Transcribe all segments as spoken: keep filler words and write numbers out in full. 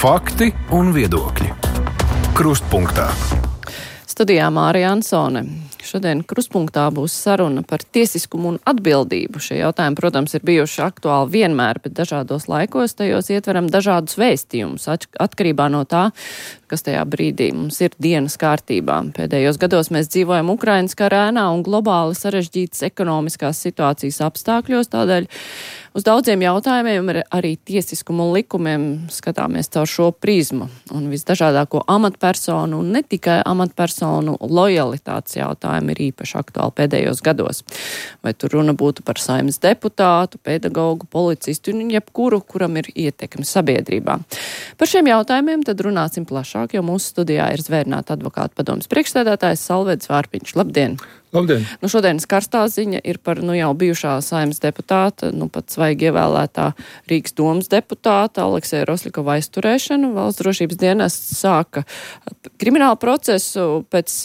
Fakti un viedokļi. Krustpunktā. Studijā Mārija Ansone. Šodien krustpunktā būs saruna par tiesiskumu un atbildību. Šie jautājumi, protams, ir bijuši aktuāli vienmēr, bet dažādos laikos tajos ietveram dažādus vēstījumus, atkarībā no tā, kas tajā brīdī mums ir dienas kārtībā. Pēdējos gados mēs dzīvojam Ukrainas kara ēnā un globāli sarežģītas ekonomiskās situācijas apstākļos, tādēļ uz daudziem jautājumiem arī tiesiskumu un likumiem skatāmies caur šo prizmu. Un visdažādāko amatpersonu un ne tikai amatpersonu lojalitātes jautājumu ir īpaši aktuāli pēdējos gados. Vai tur runa būtu par saimnes deputātu, pedagogu, policistu un jebkuru, kuram ir ietekme sabiedrībā. Par šiem jautājumiem tad runāsim plašāk, jo mūsu studijā ir Zvērināta advokāta padomes priekšsēdētājs Salvedis Vārpiņš. Labdien! Labdien! Nu, šodienas karstā ziņa ir par nu, jau bijušā saimnes deputāta, nu pat svaigi ievēlētā Rīgas domas deputāta Alekseja Rosļikova aizturēšanu. Valsts drošības dienests sāka kriminālu procesu pēc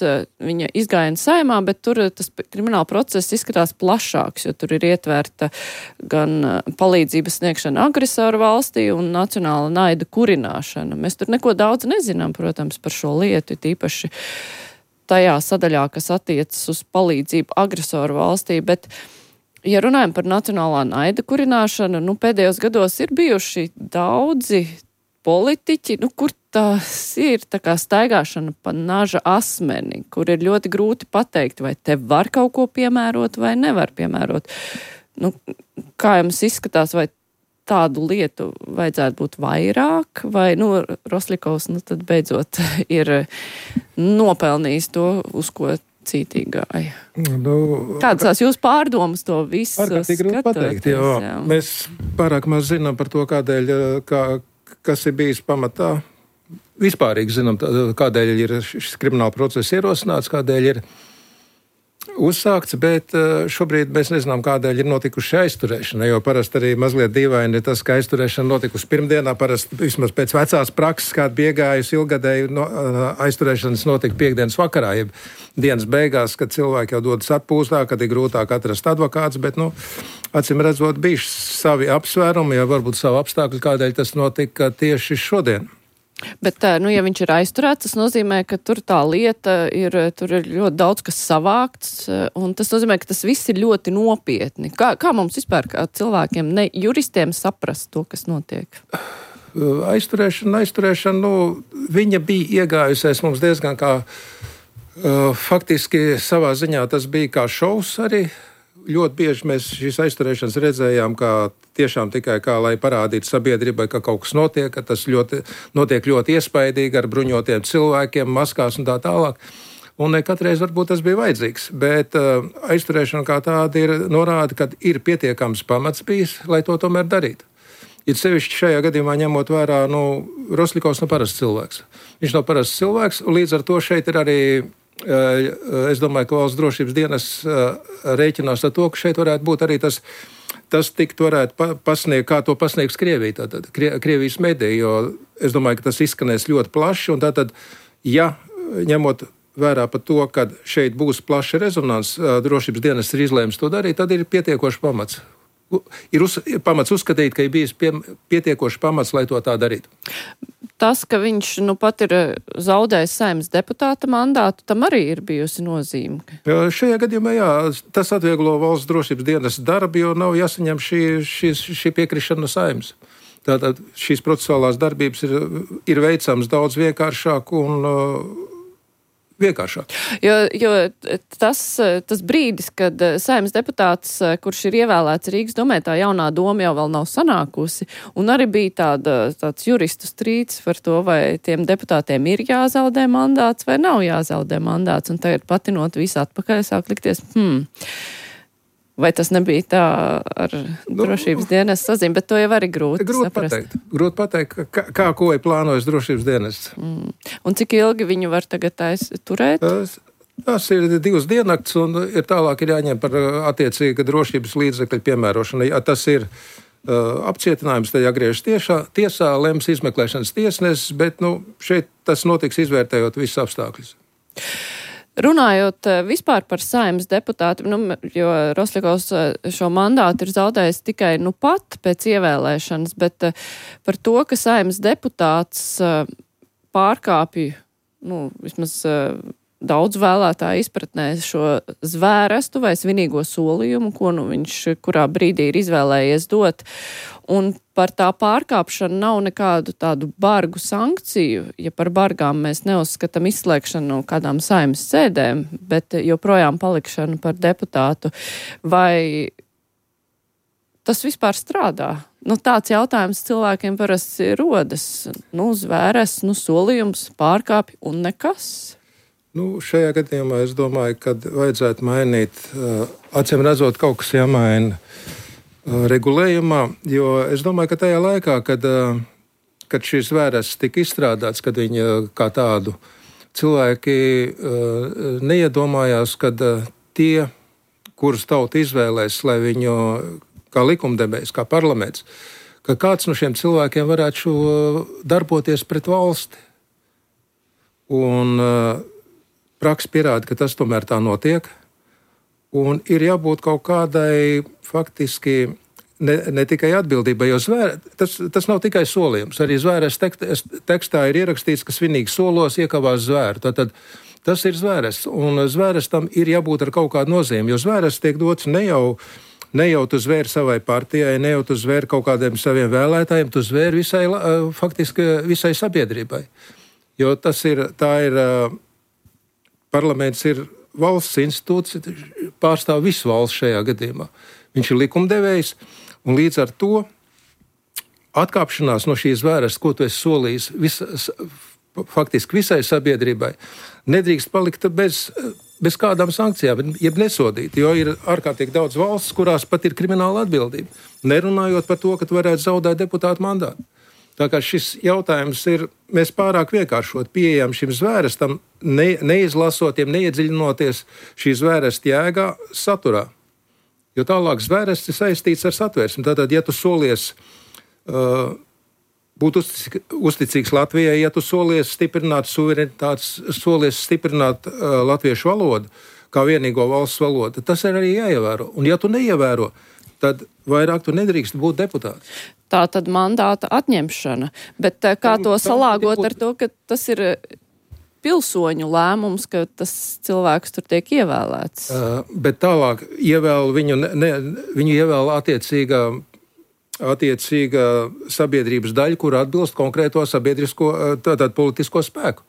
viņa izgājiena saimā, bet tur tas krimināla process izskatās plašāks, jo tur ir ietverta gan palīdzības sniegšana agresoru valstī un nacionāla naida kurināšana. Mēs tur neko daudz nezinām, protams, par šo lietu, tīpaši tajā sadaļā, kas attiecas uz palīdzību agresoru valstī, bet, ja runājam par nacionālā naida kurināšanu, nu, pēdējos gados ir bijuši daudzi politiķi, nu, kur tas ir tā kā staigāšana pa naža asmeni, kur ir ļoti grūti pateikt, vai te var kaut ko piemērot vai nevar piemērot. Nu, kā jums izskatās, vai tādu lietu vajadzētu būt vairāk, vai, nu, Rosļikovs, nu, tad beidzot ir nopelnījis to, uz ko cītīgi gāja. Nu, Kādas tās jūs pārdomas to visu skatoties? Pateikt, jo jā. Mēs pārāk maz zinām par to, kādēļ, kā, kas ir bijis pamatā. Vispārīgi zinām, kādēļ ir šis krimināla process ierosināts, kādēļ ir uzsākts, bet šobrīd mēs nezinām, kādēļ ir notikuši aizturēšana, jo parasti arī mazliet dīvaini ir tas, ka aizturēšana notikusi pirmdienā, parasti vismaz pēc vecās prakses, kāda bija iegājusi ilgadēju no, aizturēšanas notika piekdienas vakarā, jeb dienas beigās, kad cilvēki jau dodas atpūstā, kad ir grūtāk atrast advokāts, bet, nu, acīm redzot, bijuši savi apsvērumi, ja varbūt savu apstākļu, kādēļ tas notika tieši šodien. Bet, nu, ja viņš ir aizturēts, tas nozīmē, ka tur tā lieta ir, tur ir ļoti daudz kas savākts, un tas nozīmē, ka tas viss ir ļoti nopietni. Kā, kā mums vispār, kā cilvēkiem, ne juristiem saprast to, kas notiek? Aizturēšana, aizturēšana, nu, viņa bija iegājusies mums diezgan kā, uh, faktiski savā ziņā tas bija kā šovs arī. Ļoti bieži mēs šīs aizturēšanas redzējām, kā tiešām tikai kā, lai parādītu sabiedrībai, ka kaut kas notiek, ka tas ļoti, notiek ļoti iespaidīgi ar bruņotiem cilvēkiem, maskās un tā tālāk. Un ne katreiz varbūt tas bija vajadzīgs, bet uh, aizturēšana kā tāda ir norāda, ka ir pietiekams pamats bijis, lai to tomēr darītu. Ir sevišķi šajā gadījumā ņemot vērā, nu, Rosļikovs nav parasts cilvēks. Viņš nav parasts cilvēks, un līdz ar to šeit ir arī es domāju, ka valsts drošības dienas rēķinās ar to, ka šeit varētu būt arī tas, tas tikt varētu pasniegt, kā to pasniegs Krievija, tātad Krievijas mediji, jo es domāju, ka tas izskanēs ļoti plaši, un tātad, ja ņemot vērā par to, ka šeit būs plaša rezonans, drošības dienas ir izlēms to darīt, tad ir pietiekoši pamats. Ir uz, pamats uzskatīt, ka ir bijis pie, pietiekoši pamats, lai to tā darītu. Tas, ka viņš nu pat ir zaudējis saimnes deputāta mandātu, tam arī ir bijusi nozīme. Jā, šajā gadījumā, jā, tas atvieglo valsts drošības dienas darbu, jo nav jāsaņem šī, šī, šī piekrišana no saimnes. Tātad šīs procesuālās darbības ir, ir veicams daudz vienkāršāk un uh, vienkāršāk. Jo, jo tas, tas brīdis, kad saimnes deputāts, kurš ir ievēlēts Rīgas domē, tā jaunā doma jau vēl nav sanākusi, un arī bija tāda, tāds juristu strīds par to, vai tiem deputātiem ir jāzaudē mandāts vai nav jāzaudē mandāts, un tagad patinot visu atpakaļ, sāk likties, hmm, vai tas nebija tā ar nu, drošības dienas sazīm, bet to jau arī grūti, grūti saprast. Pateikt. Grūti pateikt, kā, kā ko ir plānojis drošības dienas. Mm. Un cik ilgi viņu var tagad turēt? Tas, tas ir divas diennakts, un ir tālāk ir jāņem par attiecīga drošības līdzekļu piemērošanu. Ja tas ir uh, apcietinājums, tad jāgriežas tiešā, tiesā, lems izmeklēšanas tiesnesis, bet nu, šeit tas notiks izvērtējot visus apstākļus. Runājot vispār par Saeimas deputātu, nu, jo Rosļakovs šo mandātu ir zaudējis tikai nu pat pēc ievēlēšanas, bet par to, ka Saeimas deputāts pārkāpja, nu, vismaz daudz vēlētāju izpratnē šo zvērestu vai svinīgo solījumu, ko nu viņš kurā brīdī ir izvēlējies dot. Un par tā pārkāpšanu nav nekādu tādu bargu sankciju, ja par bargām mēs neuzskatām izslēgšanu no kādām Saeimas sēdēm, bet joprojām palikšanu par deputātu. Vai tas vispār strādā? Nu, tāds jautājums cilvēkiem parasti rodas. Nu, zvēres, nu, solījums, pārkāpj un nekas. Nu, šajā gadījumā es domāju, ka vajadzētu mainīt, uh, acīm redzot, kaut kas jāmaina uh, regulējumā, jo es domāju, ka tajā laikā, kad, uh, kad šīs zvēres tika izstrādāts, kad viņi uh, kā tādu cilvēki uh, neiedomājās, kad uh, tie, kurus tauta izvēlēs, lai viņu kā likumdevējs, kā parlaments, ka kāds no šiem cilvēkiem varētu šo darboties pret valsti. Un uh, praksa pierāda, ka tas tomēr tā notiek, un ir jābūt kaut kādai faktiski ne, ne tikai atbildībai, jo zvēr, tas, tas nav tikai solījums. Arī zvēres tekstā ir ierakstīts, ka svinīgi solos iekavās zvēru. Tātad tas ir zvēres, un zvēres tam ir jābūt ar kaut kādu nozīmi, jo zvēres tiek dots ne jau, ne jau tu zvēri savai partijai, ne jau tu zvēri kaut kādiem saviem vēlētājiem, tu zvēri visai, faktiski visai sabiedrībai. Jo tas ir, tā ir... Parlaments ir valsts institūts, pārstāv visu valsts šajā gadījumā. Viņš ir likumdevējs, un līdz ar to atkāpšanās no šīs zvēres, ko tu esi solījis vis, faktiski visai sabiedrībai, nedrīkst palikt bez, bez kādām sankcijām, jeb nesodīt, jo ir ārkārtīgi daudz valsts, kurās pat ir krimināla atbildība, nerunājot par to, ka tu varētu zaudēt deputātu mandātu. Tā kā šis jautājums ir, mēs pārāk vienkāršot pieejam šim zvērestam, ne, neizlasotiem, neiedziļinoties šī zvēresta jēgā saturā. Jo tālāk zvērests ir saistīts ar satversmi. Tātad, ja tu solies uh, būt uzticīgs, uzticīgs Latvijai, ja tu solies stiprināt suverenitātes, solies stiprināt uh, latviešu valodu kā vienīgo valsts valodu, tas ir arī jāievēro. Un ja tu neievēro, tad vairāk tu nedrīkst būt deputāts. Tā tad mandāta atņemšana. Bet kā to salāgot ar to, ka tas ir pilsoņu lēmums, ka tas cilvēks tur tiek ievēlēts? Uh, bet tālāk ievēl viņu, ne, viņu ievēl attiecīgā, attiecīgā sabiedrības daļa, kur atbilst konkrēto sabiedrisko, tātad politisko spēku.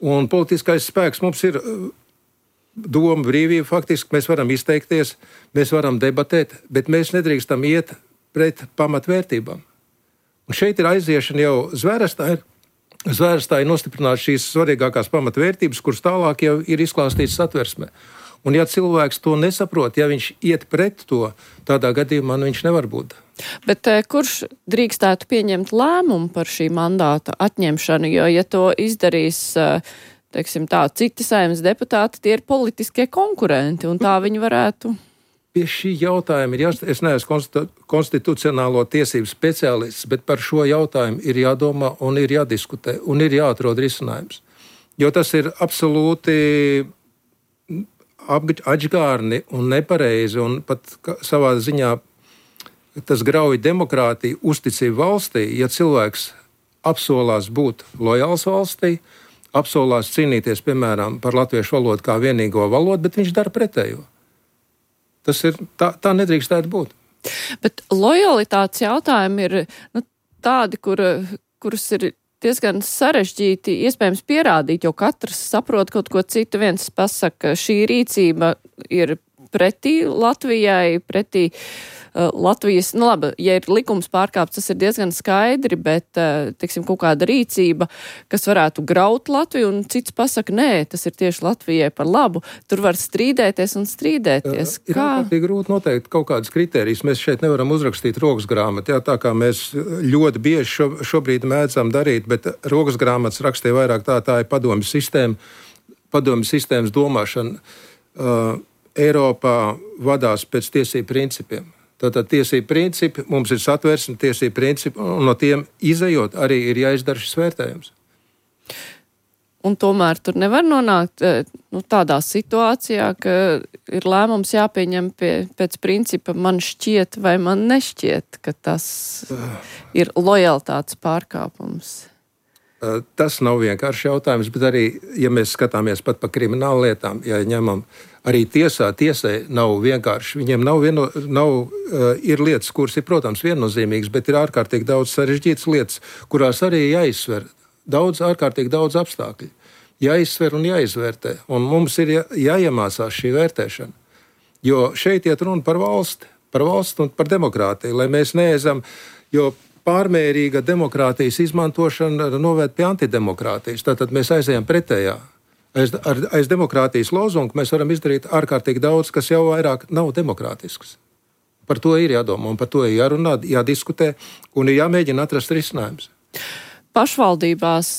Un politiskais spēks mums ir doma brīvība, faktiski mēs varam izteikties, mēs varam debatēt, bet mēs nedrīkstam iet pret pamatvērtībām. Un šeit ir aiziešana jau zvērestā, ir, zvērestā ir nostiprināt šīs svarīgākās pamatvērtības, kuras tālāk jau ir izklāstītas satversmē. Un ja cilvēks to nesaprot, ja viņš iet pret to, tādā gadījumā nu, viņš nevar būt. Bet kurš drīkstētu pieņemt lēmumu par šī mandāta atņemšanu, jo ja to izdarīs, teiksim tā, citi Saeimas deputāti, tie ir politiskie konkurenti, un tā viņi varētu... Pie šī jautājuma ir jāsaka, es neesmu konstitucionālo tiesību speciālists, bet par šo jautājumu ir jādomā un ir jādiskutē un ir jāatrod risinājums. Jo tas ir absolūti atžgārni un nepareizi un pat savā ziņā tas grauj demokrātiju, uzticību valstī, ja cilvēks apsolās būt lojāls valstī, apsolās cīnīties, piemēram, par latviešu valodu kā vienīgo valodu, bet viņš dara pretējo. Tas ir, tā, tā nedrīkstētu būt. Bet lojalitātes jautājumi ir nu, tādi, kur, kurus ir diezgan sarežģīti iespējams pierādīt, jo katrs saprot kaut ko citu. Viens pasaka, šī rīcība ir pretī Latvijai, pretī uh, Latvijas, nu labi, ja ir likums pārkāpts, tas ir diezgan skaidri, bet, uh, teiksim, kaut kāda rīcība, kas varētu graut Latviju, un cits pasaka, nē, tas ir tieši Latvijai par labu. Tur var strīdēties un strīdēties. Uh, ir ārkārtīgi grūti noteikt kaut kādas kritērijas. Mēs šeit nevaram uzrakstīt rokas grāmatu, jā, tā kā mēs ļoti bieži šo, šobrīd mēdzam darīt, bet rokas grāmatas rakstīja vairāk tā, tā ir padomju sistēma, padomju sistēmas domāšana. Uh, Eiropā vadās pēc tiesību principiem. Tātad tiesību principi, mums ir satversme, tiesību principi, un no tiem izejot arī ir jāizdara šis vērtējums. Un tomēr tur nevar nonākt nu, tādā situācijā, ka ir lēmums jāpieņem pie, pēc principa man šķiet vai man nešķiet, ka tas ir lojalitātes pārkāpums. Tas nav vienkārši jautājums, bet arī, ja mēs skatāmies pat pa kriminālu lietām, ja ņemam arī tiesā, tiesai nav vienkārši, viņiem nav, vieno, nav uh, ir lietas, kuras ir, protams, viennozīmīgas, bet ir ārkārtīgi daudz sarežģītas lietas, kurās arī jāizsver daudz, ārkārtīgi daudz apstākļu. Jāizsver un jāizvērtē, un mums ir jā, jāiemācās šī vērtēšana. Jo šeit iet runa par valsti, par valsti un par demokrātiju, lai mēs neezam, jo pārmērīga demokrātijas izmantošana novērt pie antidemokrātijas. Tātad mēs aizējam pretējā. Aiz, ar, aiz demokrātijas lozungu mēs varam izdarīt ārkārtīgi daudz, kas jau vairāk nav demokrātisks. Par to ir jādomā un par to ir jārunā, jādiskutē un ir jāmēģina atrast risinājums. Pašvaldībās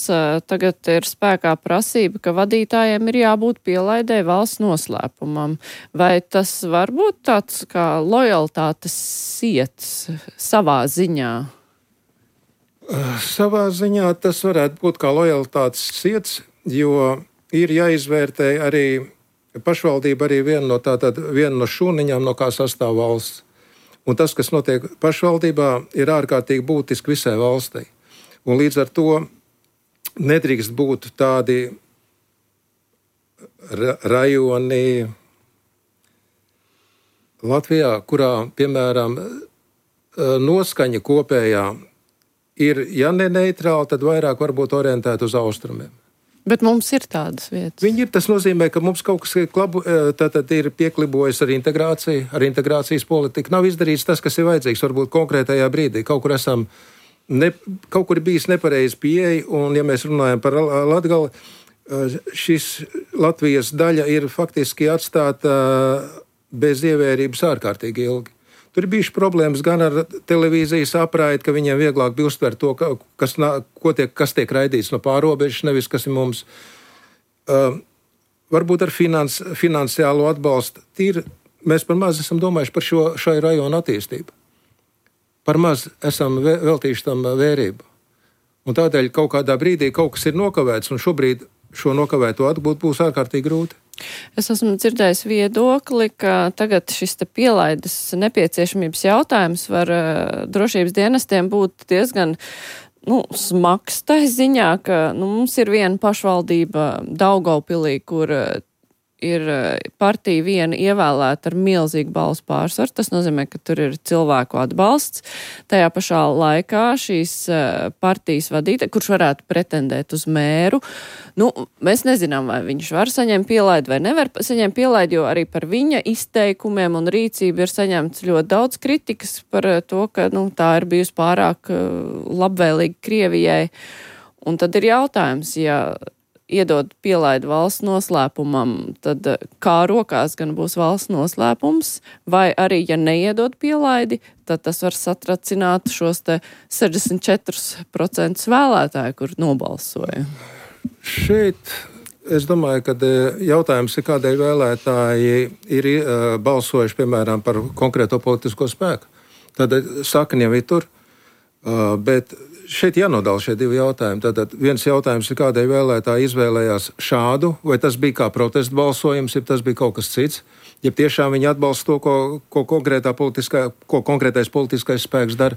tagad ir spēkā prasība, ka vadītājiem ir jābūt pielaidē valsts noslēpumam. Vai tas var būt tāds kā lojalitātes siets savā ziņā? Savā ziņā tas varētu būt kā lojalitātes siets, jo ir jāizvērtē arī pašvaldība arī viena no, tātad, viena no šūniņām, no kā sastāv valsts. Un tas, kas notiek pašvaldībā, ir ārkārtīgi būtiski visai valstī. Un līdz ar to nedrīkst būt tādi ra- rajoni Latvijā, kurā, piemēram, noskaņa kopējā ir, ja ne neitrāli, tad vairāk varbūt orientēta uz austrumiem. Bet mums ir tādas vietas. Viņi ir, tas nozīmē, ka mums kaut kas klabu, tātad ir pieklibojis ar integrāciju, ar integrācijas politiku. Nav izdarīts tas, kas ir vajadzīgs, varbūt konkrētajā brīdī. Kaut kur esam, ne, kaut kur bijis nepareizi pieeja, un ja mēs runājam par Latgali, šis Latvijas daļa ir faktiski atstāta bez ievērības ārkārtīgi ilgi. Tur ir bijuši problēmas gan ar televīzijas apraidi, ka viņiem vieglāk bija uztvert to, kas, tiek, kas tiek raidīts no pārobežas, nevis kas ir mums. Uh, varbūt ar finans, finansiālo atbalstu. Tīri, mēs par maz esam domājuši par šo, šai rajonu attīstību. Par maz esam vē, veltījuši tam vērību. Un tādēļ kaut kādā brīdī kaut kas ir nokavēts, un šobrīd šo nokavēto atbūt būs ārkārtīgi grūti. Es esmu dzirdējis viedokli, ka tagad šis te pielaides nepieciešamības jautājums var uh, drošības dienestiem būt diezgan nu, smags tai ziņā, ka nu, mums ir viena pašvaldība Daugavpilī, kur uh, ir partija viena ievēlēta ar milzīgu balsu pārsvaru. Tas nozīmē, ka tur ir cilvēku atbalsts. Tajā pašā laikā šīs partijas vadītāja, kurš varētu pretendēt uz mēru, nu, mēs nezinām, vai viņš var saņemt pielaidu vai nevar saņemt pielaidu, jo arī par viņa izteikumiem un rīcību ir saņemts ļoti daudz kritikas par to, ka nu, tā ir bijusi pārāk labvēlīga Krievijai. Un tad ir jautājums, ja iedod pielaidu valsts noslēpumam, tad kā rokās gan būs valsts noslēpums, vai arī, ja neiedod pielaidi, tad tas var satracināt šos te sešdesmit četri procenti vēlētāju, kur nobalsoja. Šeit es domāju, ka jautājums ir, kādēļ vēlētāji ir uh, balsojuši, piemēram, par konkrēto politisko spēku. Tad sakni jau ir tur, uh, bet šeit jānodala šie divi jautājumi. Tātad viens jautājums ir, kādēļ vēlētāji izvēlējās šādu, vai tas bija kā protestu balsojums, ja tas bija kaut kas cits, ja tiešām viņi atbalsta to, ko, ko, politiskā, ko konkrētais politiskais spēks dara.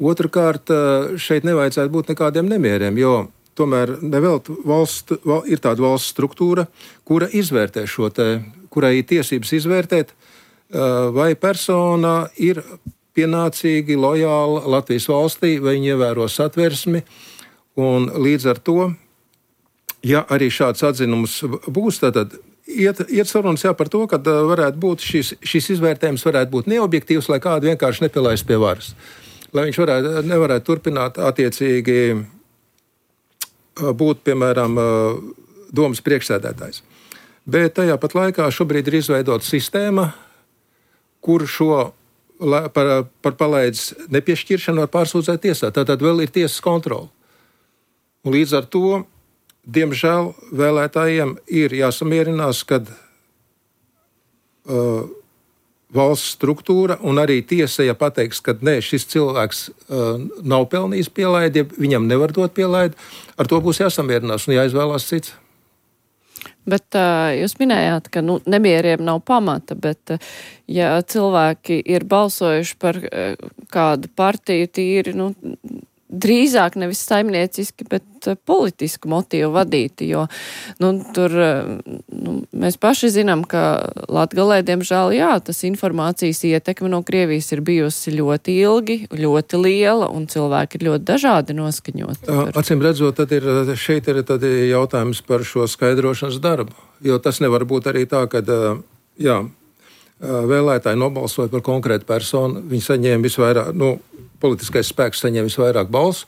Otrakārt, šeit nevajadzētu būt nekādiem nemieriem, jo tomēr nevelt valsts, val, ir tāda valsts struktūra, kura izvērtē šo te, kurai ir tiesības izvērtēt, vai persona ir pienācīgi, lojāli Latvijas valstī, vai viņi ievēro satversmi, un līdz ar to, ja arī šāds atzinums būs, tad iet, iet sarunas jā par to, ka varētu būt šis, šis izvērtējums varētu būt neobjektīvs, lai kādu vienkārši nepielaist pie varas. Lai viņš varētu, nevarētu turpināt attiecīgi būt, piemēram, domas priekšsēdētājs. Bet tajā pat laikā šobrīd ir izveidota sistēma, kur šo Par, par palaides nepiešķiršanu var pārsūdzēt tiesā. Tātad vēl ir tiesas kontrole. Un līdz ar to, diemžēl, vēlētājiem ir jāsamierinās, kad uh, valsts struktūra un arī tiesa, ja pateiks, ka nē, šis cilvēks uh, nav pelnījis pielaidi, ja viņam nevar dot pielaidi, ar to būs jāsamierinās un jāizvēlās cits. Bet uh, jūs minējāt, ka nu, nemieriem nav pamata, bet uh, ja cilvēki ir balsojuši par uh, kādu partiju tīri, nu, drīzāk nevis saimnieciski, bet uh, politisku motīvu vadīti, jo nu, tur uh, nu, mēs paši zinām, ka Latgalē, diemžēl, jā, tas informācijas ietekme no Krievijas ir bijusi ļoti ilgi, ļoti liela, un cilvēki ir ļoti dažādi noskaņoti. Par... Acīm redzot, tad ir, šeit ir tad jautājums par šo skaidrošanas darbu, jo tas nevar būt arī tā, ka, jā, vēlētāji nobalsoja par konkrētu personu, viņi saņēma visvairāk, nu, politiskais spēks saņēma visvairāk balsu,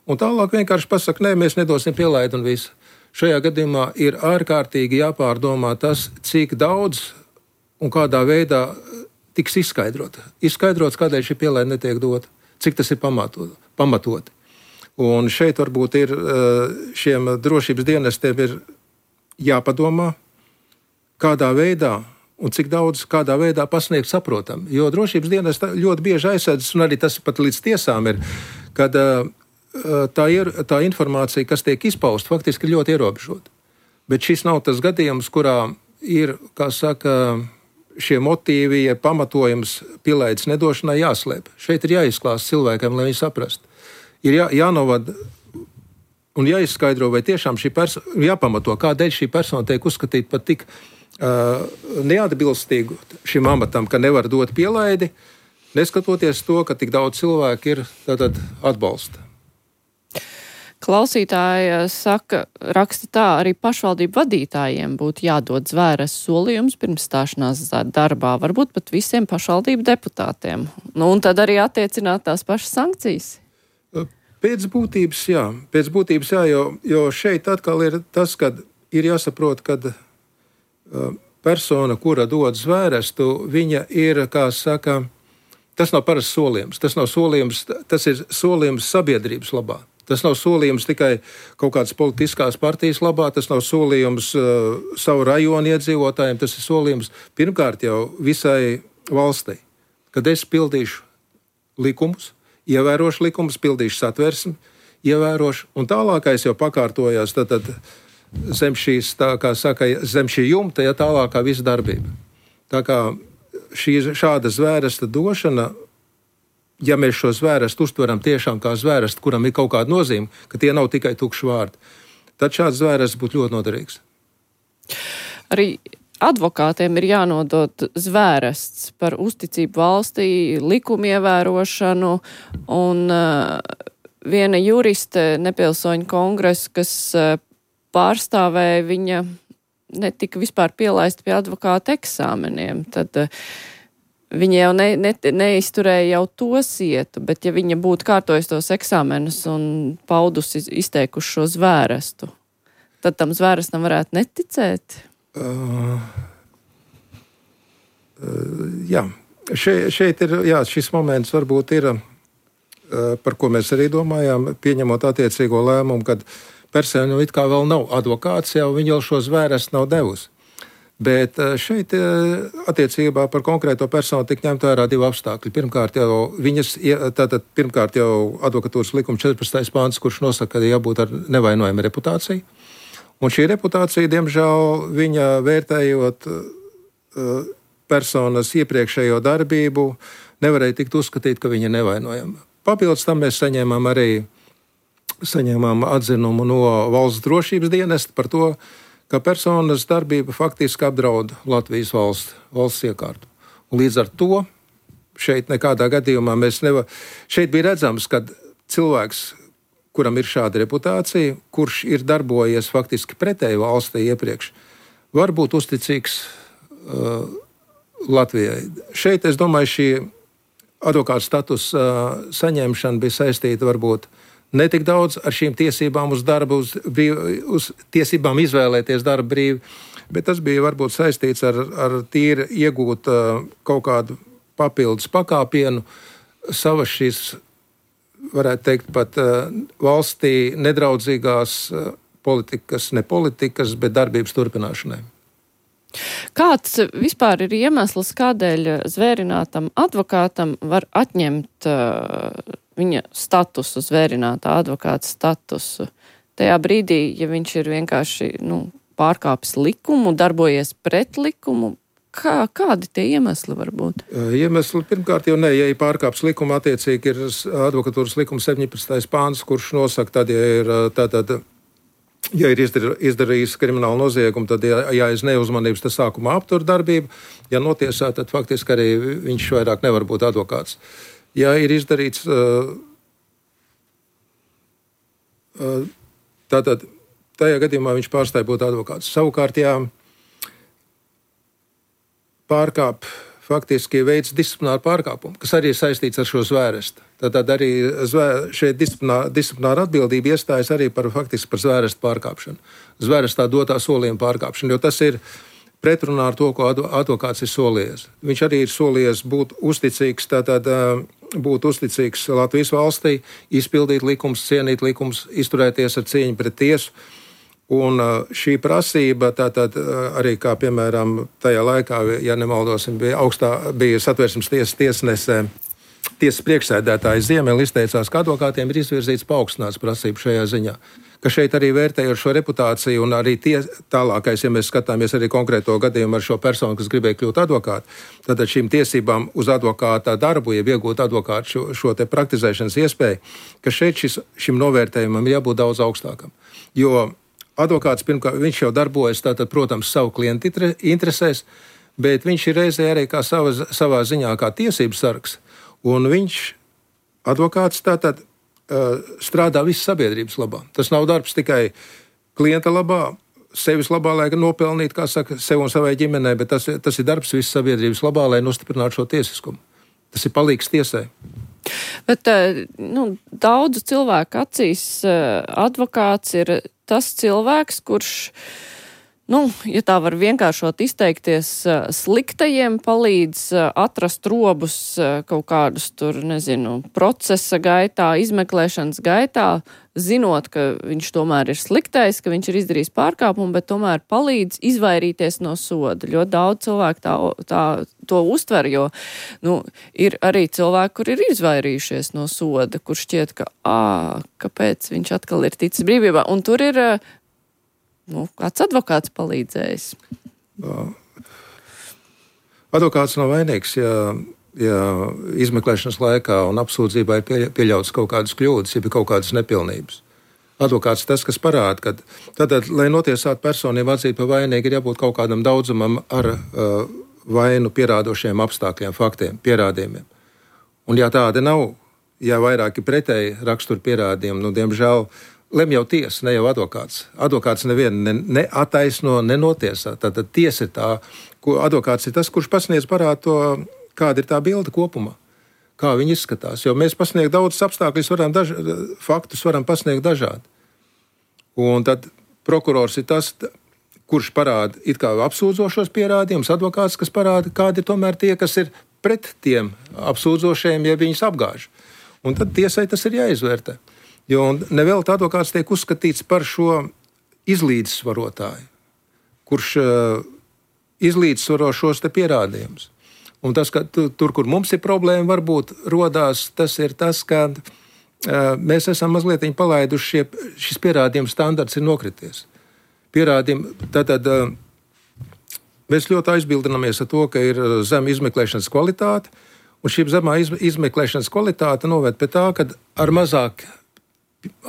un tālāk vienkārši pasaka, nē, mēs nedosim pielaidu un visu. Šajā gadījumā ir ārkārtīgi jāpārdomā tas, cik daudz un kādā veidā tiks izskaidrota. Izskaidrots, kādēļ šī pielaida netiek dota, cik tas ir pamatot, pamatoti. Un šeit varbūt ir šiem drošības dienestiem ir jāpadomā, kādā veidā un cik daudz, kādā veidā pasniegt saprotam. Jo drošības dienas ļoti bieži aizsēdzas, un arī tas pat līdz tiesām ir, kad tā, ir, tā informācija, kas tiek izpausta, faktiski ir ļoti ierobežota. Bet šis nav tas gadījums, kurā ir, kā saka, šie motīvi, ja pamatojums pielaides nedošanai jāslēp. Šeit ir jāizklāst cilvēkiem, lai viņi saprast. Ir jā, jānovad un jāizskaidro, vai tiešām šī persona, jāpamato, kādēļ šī persona tiek uzskatīta pat tik Uh, neatbilstīgu šim amatam, ka nevar dot pielaidi, neskatoties to, ka tik daudz cilvēku ir tātad atbalsta. Klausītāja saka, raksta tā, arī pašvaldību vadītājiem būtu jādod zvēres solījums pirms stāšanās darbā, varbūt pat visiem pašvaldību deputātiem. Nu, un tad arī attiecināt tās pašas sankcijas. Pēc būtības, jā. Pēc būtības, jā, jo, jo šeit atkal ir tas, kad ir jāsaprot, kad persona, kura dod zvērestu, viņa ir, kā saka, tas nav parasts solījums. Tas nav solījums, tas ir solījums sabiedrības labā. Tas nav solījums tikai kaut kādas politiskās partijas labā, tas nav solījums uh, savu rajonu iedzīvotājiem, tas ir solījums pirmkārt jau visai valstī, kad es pildīšu likumus, ievērošu likumus, pildīšu satversmi, ievērošu, un tālākais jau pakārtojās tad, tad zem šīs, tā kā saka, zem šī jumta, ja tālākā visa darbība. Tā kā šī šāda zvēresta došana, ja mēs šo zvērestu uztveram tiešām kā zvērestu, kuram ir kaut kāda nozīme, ka tie nav tikai tukši vārdi, tad šāds zvērsts būtu ļoti noderīgs. Arī advokātiem ir jānodod zvērests par uzticību valstī, likumu ievērošanu, un uh, viena juriste nepilsoņu kongresa, kas uh, pārstāvēja, viņa netika vispār pielaista pie advokāta eksāmeniem, tad uh, viņa jau ne, ne, neizturēja jau to sietu, bet ja viņa būtu kārtojis tos eksāmenus un paudusi, izteikuši šo zvērestu, tad tam zvērestam varētu neticēt? Uh, uh, jā, Še, šeit ir, jā, šis moments varbūt ir, uh, par ko mēs arī domājām, pieņemot attiecīgo lēmumu, kad persona it kā vēl nav advokāts, jau viņa vēl šo zvērestu nav devusi. Bet šeit attiecībā par konkrēto personu tik ņemt vērā divi apstākļi. Pirmkārt jau, viņas, tātad, pirmkārt jau advokatūras likuma četrpadsmitais pāns, kurš nosaka, ka jābūt ar nevainojumu reputāciju. Un šī reputācija, diemžēl, viņa vērtējot personas iepriekšējo darbību, nevarēja tikt uzskatīt, ka viņa ir nevainojama. Papildus tam mēs saņēmām arī saņēmām atzinumu no valsts drošības dienesta par to, ka personas darbība faktiski apdraud Latvijas valsts, valsts iekārtu. Un līdz ar to šeit nekādā gadījumā mēs nevar... Šeit bija redzams, ka cilvēks, kuram ir šāda reputācija, kurš ir darbojies faktiski pretēji valstī iepriekš, var būt uzticīgs uh, Latvijai. Šeit, es domāju, šī advokāta status uh, saņemšana bija saistīta varbūt ne tik daudz ar šīm tiesībām uz darbu, uz, brīv, uz tiesībām izvēlēties darbu brīvi, bet tas bija varbūt saistīts ar, ar tīri iegūt uh, kaut kādu papildus pakāpienu savas šīs, varētu teikt, pat uh, valstī nedraudzīgās uh, politikas, ne politikas, bet darbības turpināšanai. Kāds vispār ir iemesls, kādēļ zvērinātam advokātam var atņemt uh, viņa statusu, zvērinātā advokāta statusu? Tajā brīdī, ja viņš ir vienkārši nu, pārkāpis likumu, darbojies pret likumu, kā, kādi tie iemesli var būt? Iemesli pirmkārt jau ne, ja ir pārkāps likuma, attiecīgi ir advokatūras likuma septiņpadsmitais pāns, kurš nosaka, tad, ja ir tātad. Ja ir izdarījis kriminālu noziegumu, tad, ja, ja aiz neuzmanības, tas sākumā aptur darbību. Ja notiesā, tad faktiski arī viņš vairāk nevar būt advokāts. Ja ir izdarīts, tātad tajā gadījumā viņš pārstāja būt advokāts. Savukārt, ja pārkāp faktiski veids disciplināru pārkāpumu, kas arī ir saistīts ar šo zvērestu. Tad arī zvēr, šeit disciplinā, disciplināra atbildība iestājas arī par faktiski par zvērestu pārkāpšanu. Zvērestā dotā solījuma pārkāpšanu, jo tas ir pretrunā ar to, ko advokāts ir solījies. Viņš arī ir solījies būt uzticīgs, tātad būt uzticīgs Latvijas valstī, izpildīt likums, cienīt likums, izturēties ar cieņu pret tiesu. Un šī prasība, tātad arī kā piemēram tajā laikā, ja nemaldosim, bija augstā, bija Satversmes tiesas tiesnesē, tiesas priekšsēdētājs Ziemeli izteicās, ka advokātiem ir izvirzīts paaugstināts prasību šajā ziņā. Ka šeit arī vērtējot šo reputāciju un arī tie tālākais, ja mēs skatāmies arī konkrēto gadījumu ar šo personu, kas gribēja kļūt advokātu, tad šīm tiesībām uz advokāta darbu, ja iegūt advokātu šo, šo te praktizēšanas iespēju, ka šeit šis, šim novērtējumam jābūt daudz augstākam. Jo advokāts, pirmkārt, viņš jau darbojas, tātad, protams, savu klientu interesēs, bet viņš ir reizē arī kā savā, savā ziņā kā tiesības sargs, un viņš, advokāts, tātad, strādā visas sabiedrības labā. Tas nav darbs tikai klienta labā, sevis labā, lai nopelnītu, kā saka, sev un savai ģimenei, bet tas, tas ir darbs visas sabiedrības labā, lai nostiprinātu šo tiesiskumu. Tas ir palīgs tiesai. Bet nu, daudzu cilvēku acīs advokāts ir tas cilvēks, kurš, nu, ja tā var vienkāršot izteikties, sliktajiem palīdz atrast robus kaut kādus tur, nezinu, procesa gaitā, izmeklēšanas gaitā, zinot, ka viņš tomēr ir sliktais, ka viņš ir izdarījis pārkāpumu, bet tomēr palīdz izvairīties no soda. Ļoti daudz cilvēku tā, tā, to uztver, jo, nu, ir arī cilvēki, kur ir izvairījušies no soda, kur šķiet, ka, ā, kāpēc viņš atkal ir ticis brīvībā. Un tur ir, nu, kāds advokāts palīdzējis. Advokāts nav vainīgs, ja, ja izmeklēšanas laikā un apsūdzībā ir pieļauts kaut kādas kļūdas, ja ir kaut kādas nepilnības. Advokāts tas, kas parāda, ka tātad, lai notiesātu personību atzīt par vainīgu, ir jābūt kaut kādam daudzumam ar uh, vainu pierādošiem apstākļiem, faktiem, pierādījumiem. Un ja tāda nav, ja vairāki pretēji rakstura pierādījumi, nu, diemžēl, lem jau tiesa, ne jau advokāts. Advokāts nevienu ne, ne attaisno, nenotiesā. Tātad tiesa ir tā, ko advokāts ir tas, kurš pasniedz parāda to, kāda ir tā bilde kopumā, kā viņi izskatās. Jo mēs pasniegt daudzus apstākļus, varam daž, faktus varam pasniegt dažādi. Un tad prokurors ir tas, kurš parāda it kā apsūdzošos pierādījumus, advokāts, kas parāda, kādi ir tomēr tie, kas ir pret tiem apsūdzošajiem, ja viņus apgāž. Un tad tiesai tas ir jāizvērtē. Jo nevēl advokāts tiek uzskatīts par šo izlīdzsvarotāju, kurš uh, izlīdzsvaro šos te pierādījumus. Un tas, ka tu, tur, kur mums ir problēma, varbūt rodās, tas ir tas, ka uh, mēs esam mazliet palaiduši šie, šis pierādījums standarts ir nokrities. Pierādījumi, tātad uh, mēs ļoti aizbildinamies ar to, ka ir zema izmeklēšanas kvalitāte, un šī zemā iz, izmeklēšanas kvalitāte noved pie tā, ka ar mazāk,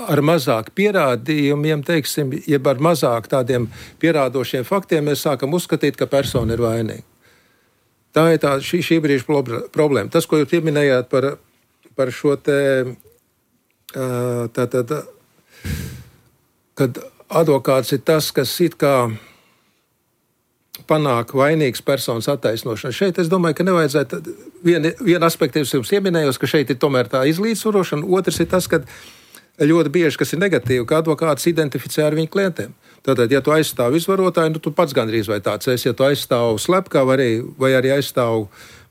ar mazāk pierādījumiem, teiksim, jeb ar mazāk tādiem pierādošiem faktiem, mēs sākam uzskatīt, ka persona ir vainīga. Tā ir tā, šī, šī brīža problēma. Tas, ko jūs pieminējāt par, par šo te, tā, tā, tā, kad advokāts ir tas, kas it kā panāk vainīgas personas attaisnošanu. Šeit es domāju, ka nevajadzētu, viena vien aspekta es jums pieminējos, ka šeit ir tomēr tā izlīdzsvarošana, otrs ir tas, ka ļoti bieži, kas ir negatīvi, ka advokāts identificē ar viņu klientiem. Tātad, ja tu aizstāvi izvarotāju, nu tu pats gandrīz vai tāds esi, ja tu aizstāvi slepkavu arī, vai arī aizstāvi,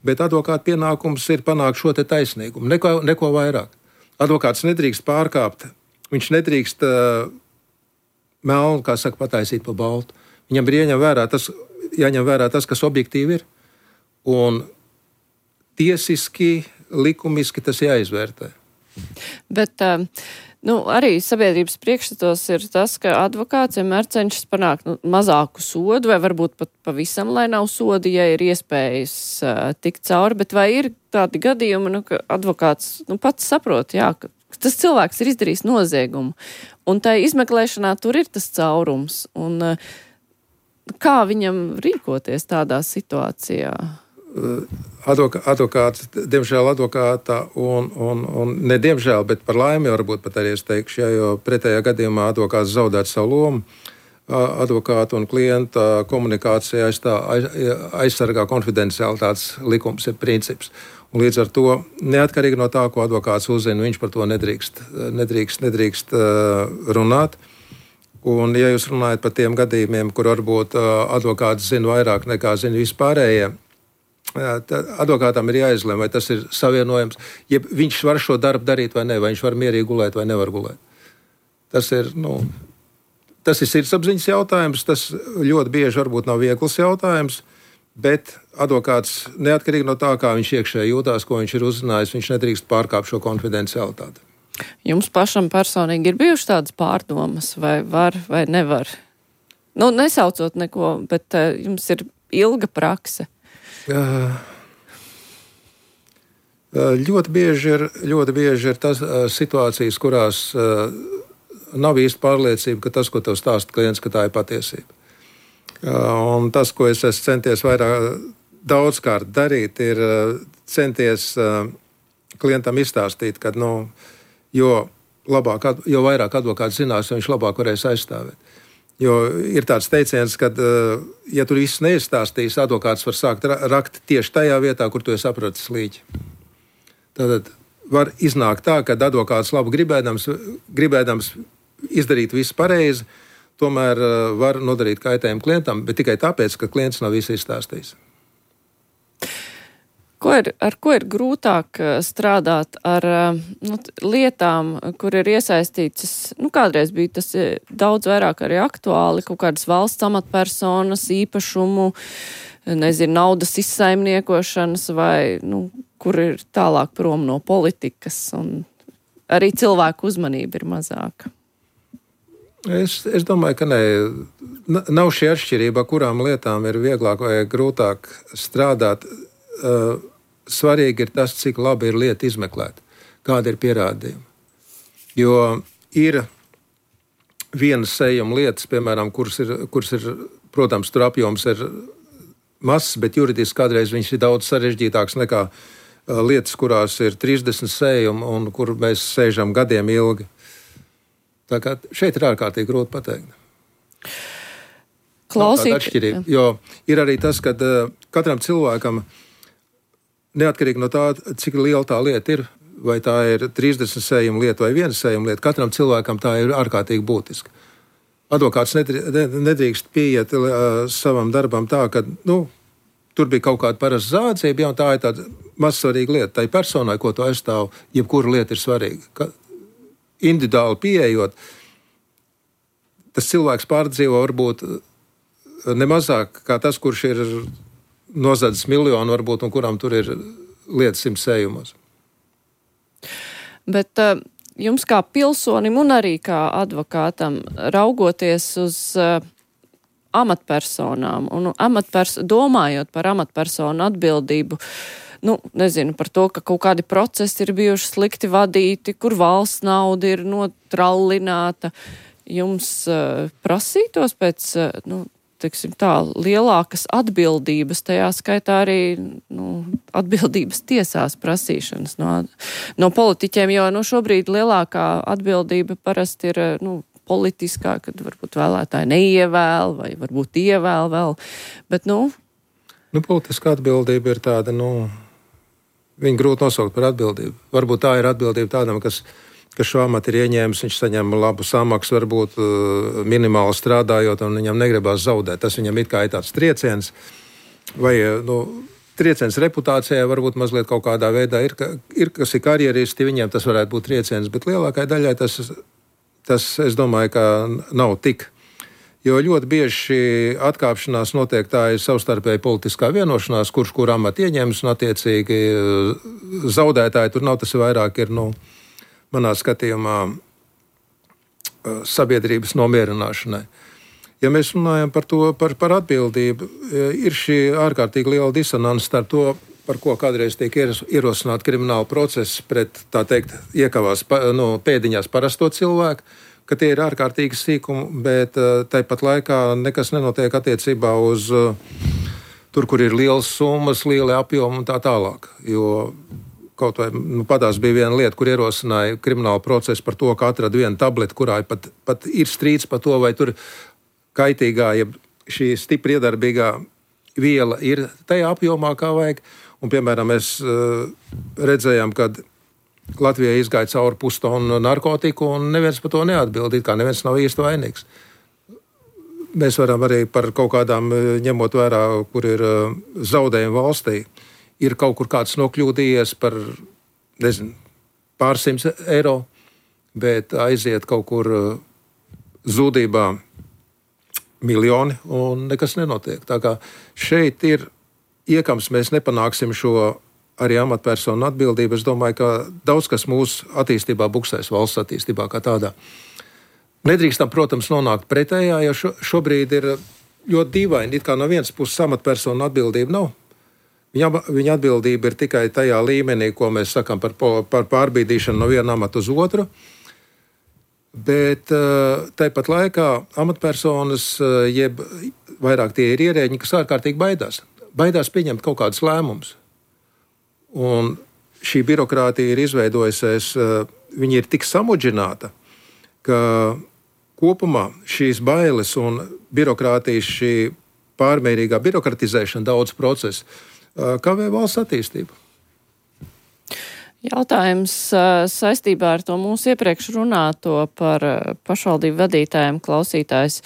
bet advokāta pienākums ir panākt šo te taisnīgumu, neko, neko vairāk. Advokāts nedrīkst pārkāpt, viņš nedrīkst uh, melnu, kā saka, pataisīt pa baltu. Viņam ir ieņem vērā tas, jāņem vērā tas, kas objektīvi ir. Un tiesiski, likumiski tas jāizvērtē. Bet nu, arī sabiedrības priekšstatos ir tas, ka advokāts vienmēr cenšas panākt nu, mazāku sodu, vai varbūt pat pavisam, lai nav sodi, ja ir iespējas uh, tikt cauri. Bet vai ir tādi gadījumi, nu, ka advokāts nu, pats saprot, jā, ka tas cilvēks ir izdarījis noziegumu, un tai izmeklēšanā tur ir tas caurums. Un, uh, kā viņam rīkoties tādā situācijā? Advoka, advokāts, diemžēl advokāta un, un, un ne diemžēl, bet par laimi varbūt pat arī es teikšu, ja, jo pretējā gadījumā advokāts zaudētu savu lomu. Advokāta un klienta komunikācija aizstā, aiz, aizsargā konfidencialitātes likums ir princips. Un līdz ar to, neatkarīgi no tā, ko advokāts uzzina, viņš par to nedrīkst, nedrīkst, nedrīkst runāt. Un, ja jūs runājat par tiem gadījumiem, kur varbūt advokāts zina vairāk nekā zina vispārējie, advokātam ir jāizlem, vai tas ir savienojams, ja viņš var šo darbu darīt vai ne, vai viņš var mierīgi gulēt vai nevar gulēt. Tas ir, nu, tas ir sirdsapziņas jautājums, tas ļoti bieži varbūt nav viegls jautājums, bet advokāts neatkarīgi no tā, kā viņš iekšēji jūtās, ko viņš ir uzzinājis, viņš nedrīkst pārkāpt šo konfidencialitāti. Jums pašam personīgi ir bijušas tādas pārdomas, vai var, vai nevar? Nu, nesaucot neko, bet uh, jums ir ilga prakse. Uh, ļoti bieži ir, ļoti bieži ir tas uh, situācijas, kurās uh, nav īsti pārliecība, ka tas, ko tev stāsta klients, ka tā ir patiesība. Uh, un tas, ko es esmu centies vairāk daudzkārt darīt, ir uh, centies uh, klientam izstāstīt, ka, nu, jo, labāk, jo vairāk advokāts zinās, viņš labāk varēs aizstāvēt. Jo ir tāds teiciens, ka, ja tu viss neizstāstīsi, advokāts var sākt rakt tieši tajā vietā, kur tu esi sapratis līķi. Tātad var iznākt tā, ka advokāts labi gribēdams, gribēdams izdarīt visu pareizi, tomēr var nodarīt kaitējumu klientam, bet tikai tāpēc, ka klients nav visu izstāstījis. Ko ir, ar ko ir grūtāk strādāt ar nu, lietām, kur ir iesaistītas, nu kādreiz bija tas daudz vairāk arī aktuāli, kaut kādas valsts amatpersonas, īpašumu, nezinu, naudas izsaimniekošanas vai, nu, kur ir tālāk prom no politikas un arī cilvēku uzmanība ir mazāka? Es, es domāju, ka ne, nav šī atšķirība, kurām lietām ir vieglāk vai grūtāk strādāt. Uh, svarīgi ir tas, cik labi ir lieta izmeklēta, kāda ir pierādījuma. Jo ir vienas sējuma lietas, piemēram, kuras ir, kuras ir, protams, tur apjoms ir mazs, bet juridiski kādreiz viņš ir daudz sarežģītāks nekā uh, lietas, kurās ir trīsdesmit sējumi un kur mēs sēžam gadiem ilgi. Tā kā šeit ir ārkārtīgi grūti pateikt. Klausīt. Jo ir arī tas, ka uh, katram cilvēkam neatkarīgi no tā, cik liela tā lieta ir, vai tā ir trīsdesmit sējuma lieta vai viena sējuma lieta, katram cilvēkam tā ir ārkārtīgi būtiska. Advokāts nedrīkst pieiet uh, savam darbam tā, ka, nu, tur bija kaut kāda parasta zādzība, ja, un tā ir tāda mazsvarīga lieta. Tai personai, ko tu aizstāv, jebkura lieta ir svarīga. Ka individuāli pieejot, tas cilvēks pārdzīvo varbūt nemazāk kā tas, kurš ir nozadzis miljonu varbūt, un kuram tur ir lietas simt sējumos. Bet uh, jums kā pilsonim un arī kā advokātam raugoties uz uh, amatpersonām un amatpers- domājot par amatpersonu atbildību, nu, nezinu, par to, ka kaut kādi procesi ir bijuši slikti vadīti, kur valsts nauda ir notrallināta, jums uh, prasītos pēc, uh, nu, teiksim tā, lielākas atbildības, tajā skaitā arī nu, atbildības tiesās prasīšanas no, no politiķiem, jo nu, šobrīd lielākā atbildība parasti ir nu, politiskā, kad varbūt vēlētāji neievēl vai varbūt ievēl vēl, bet nu... Nu, politiskā atbildība ir tāda, nu, viņa grūti nosaukt par atbildību. Varbūt tā ir atbildība tādam, kas kas šo amatu ir ieņēmis, viņš saņem labu samaksu, varbūt uh, minimāli strādājot, un viņam negribās zaudēt. Tas viņam it kā ir tāds trieciens, vai nu, trieciens reputācijai varbūt mazliet kaut kādā veidā ir, ka, ir kas ir karjeristi, viņiem tas varētu būt trieciens, bet lielākai daļai tas, tas es domāju, ka nav tik. Jo ļoti bieži šī atkāpšanās notiek tā ir savstarpēji politiskā vienošanās, kurš kur amatu ieņems, un attiecīgi zaudētāji tur nav, tas vairāk ir, nu, manā skatījumā sabiedrības nomierināšanai. Ja mēs runājam par to, par, par atbildību, ir šī ārkārtīgi liela disonance starp to, par ko kādreiz tiek ierosināta krimināla procesa pret, tā teikt, iekavās no pēdiņās parasto cilvēku, ka tie ir ārkārtīgi sīkumi, bet tāpat laikā nekas nenotiek attiecībā uz tur, kur ir lielas summas, lieli apjomi un tā tālāk. Jo kaut vai nu, padās bija viena lieta, kur ierosināja kriminālu procesu par to, ka atrada vienu tableti, kurā pat, pat ir strīds par to, vai tur kaitīgā, ja šī stipri iedarbīgā viela ir tajā apjomā, kā vajag. Un, piemēram, mēs uh, redzējām, kad Latvijā izgāja cauri pustonu narkotiku, un neviens par to neatbildīja, kā neviens nav īsti vainīgs. Mēs varam arī par kaut kādām, ņemot vērā, kur ir uh, zaudējumi valstī, ir kaut kur kāds nokļūdījies par, nezinu, pārsimts eiro, bet aiziet kaut kur uh, zudībā miljoni, un nekas nenotiek. Tā kā šeit ir iekams, mēs nepanāksim šo arī amatpersonu atbildību. Es domāju, ka daudz kas mūsu attīstībā buksēs, valsts attīstībā kā tādā. Nedrīkstam, protams, nonākt pretējā, jo šo, šobrīd ir ļoti dīvaini, it kā no vienas puses amatpersonu atbildība nav. Viņa, viņa atbildība ir tikai tajā līmenī, ko mēs sakām par, par pārbīdīšanu no viena amata uz otru. Bet tāpat laikā amatpersonas, jeb vairāk tie ir ierēģi, kas ārkārtīgi baidās. Baidās pieņemt kaut kādus lēmumus. Un šī birokrātija ir izveidojusies, viņa ir tik samudžināta, ka kopumā šīs bailes un birokrātijas, šī pārmērīgā birokratizēšana daudz procesu kavē valsts attīstību. Jautājums saistībā ar to mūsu iepriekš runāto par pašvaldību vadītājiem. Klausītājs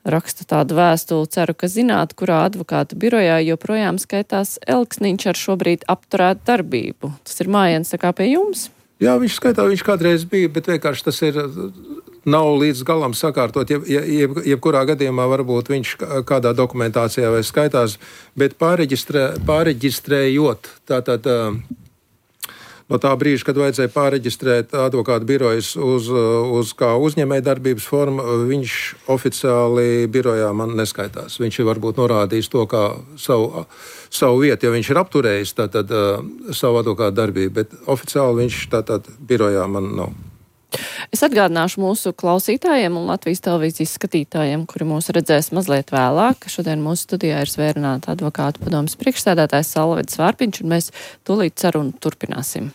raksta tādu vēstuli, ceru, ka zināt, kurā advokāta birojā joprojām skaitās Elksniņš ar šobrīd apturētu darbību. Tas ir Mājiens, tā kā pie jums? Jā, viņš skaitā, viņš kādreiz bija, bet vienkārši tas ir, nav līdz galam sakārtot. Jeb, jeb, jebkurā gadījumā varbūt viņš kādā dokumentācijā vai skaitās, bet pārreģistrē, pārreģistrējot tātad no tā brīža, kad vajadzēja pārreģistrēt advokātu birojas uz, uz kā uzņēmēja darbības formu, viņš oficiāli birojā man neskaitās. Viņš ir varbūt norādījis to kā savu, savu vietu, jo viņš ir apturējis tātad savu advokātu darbību, bet oficiāli viņš tātad birojā man nav. Es atgādināšu mūsu klausītājiem un Latvijas televīzijas skatītājiem, kuri mūs redzēs mazliet vēlāk. Šodien mūsu studijā ir Zvērināta advokātu padomes priekšsēdētājs Salvedis Vārpiņš, un mēs tūlīt sarunu turpināsim.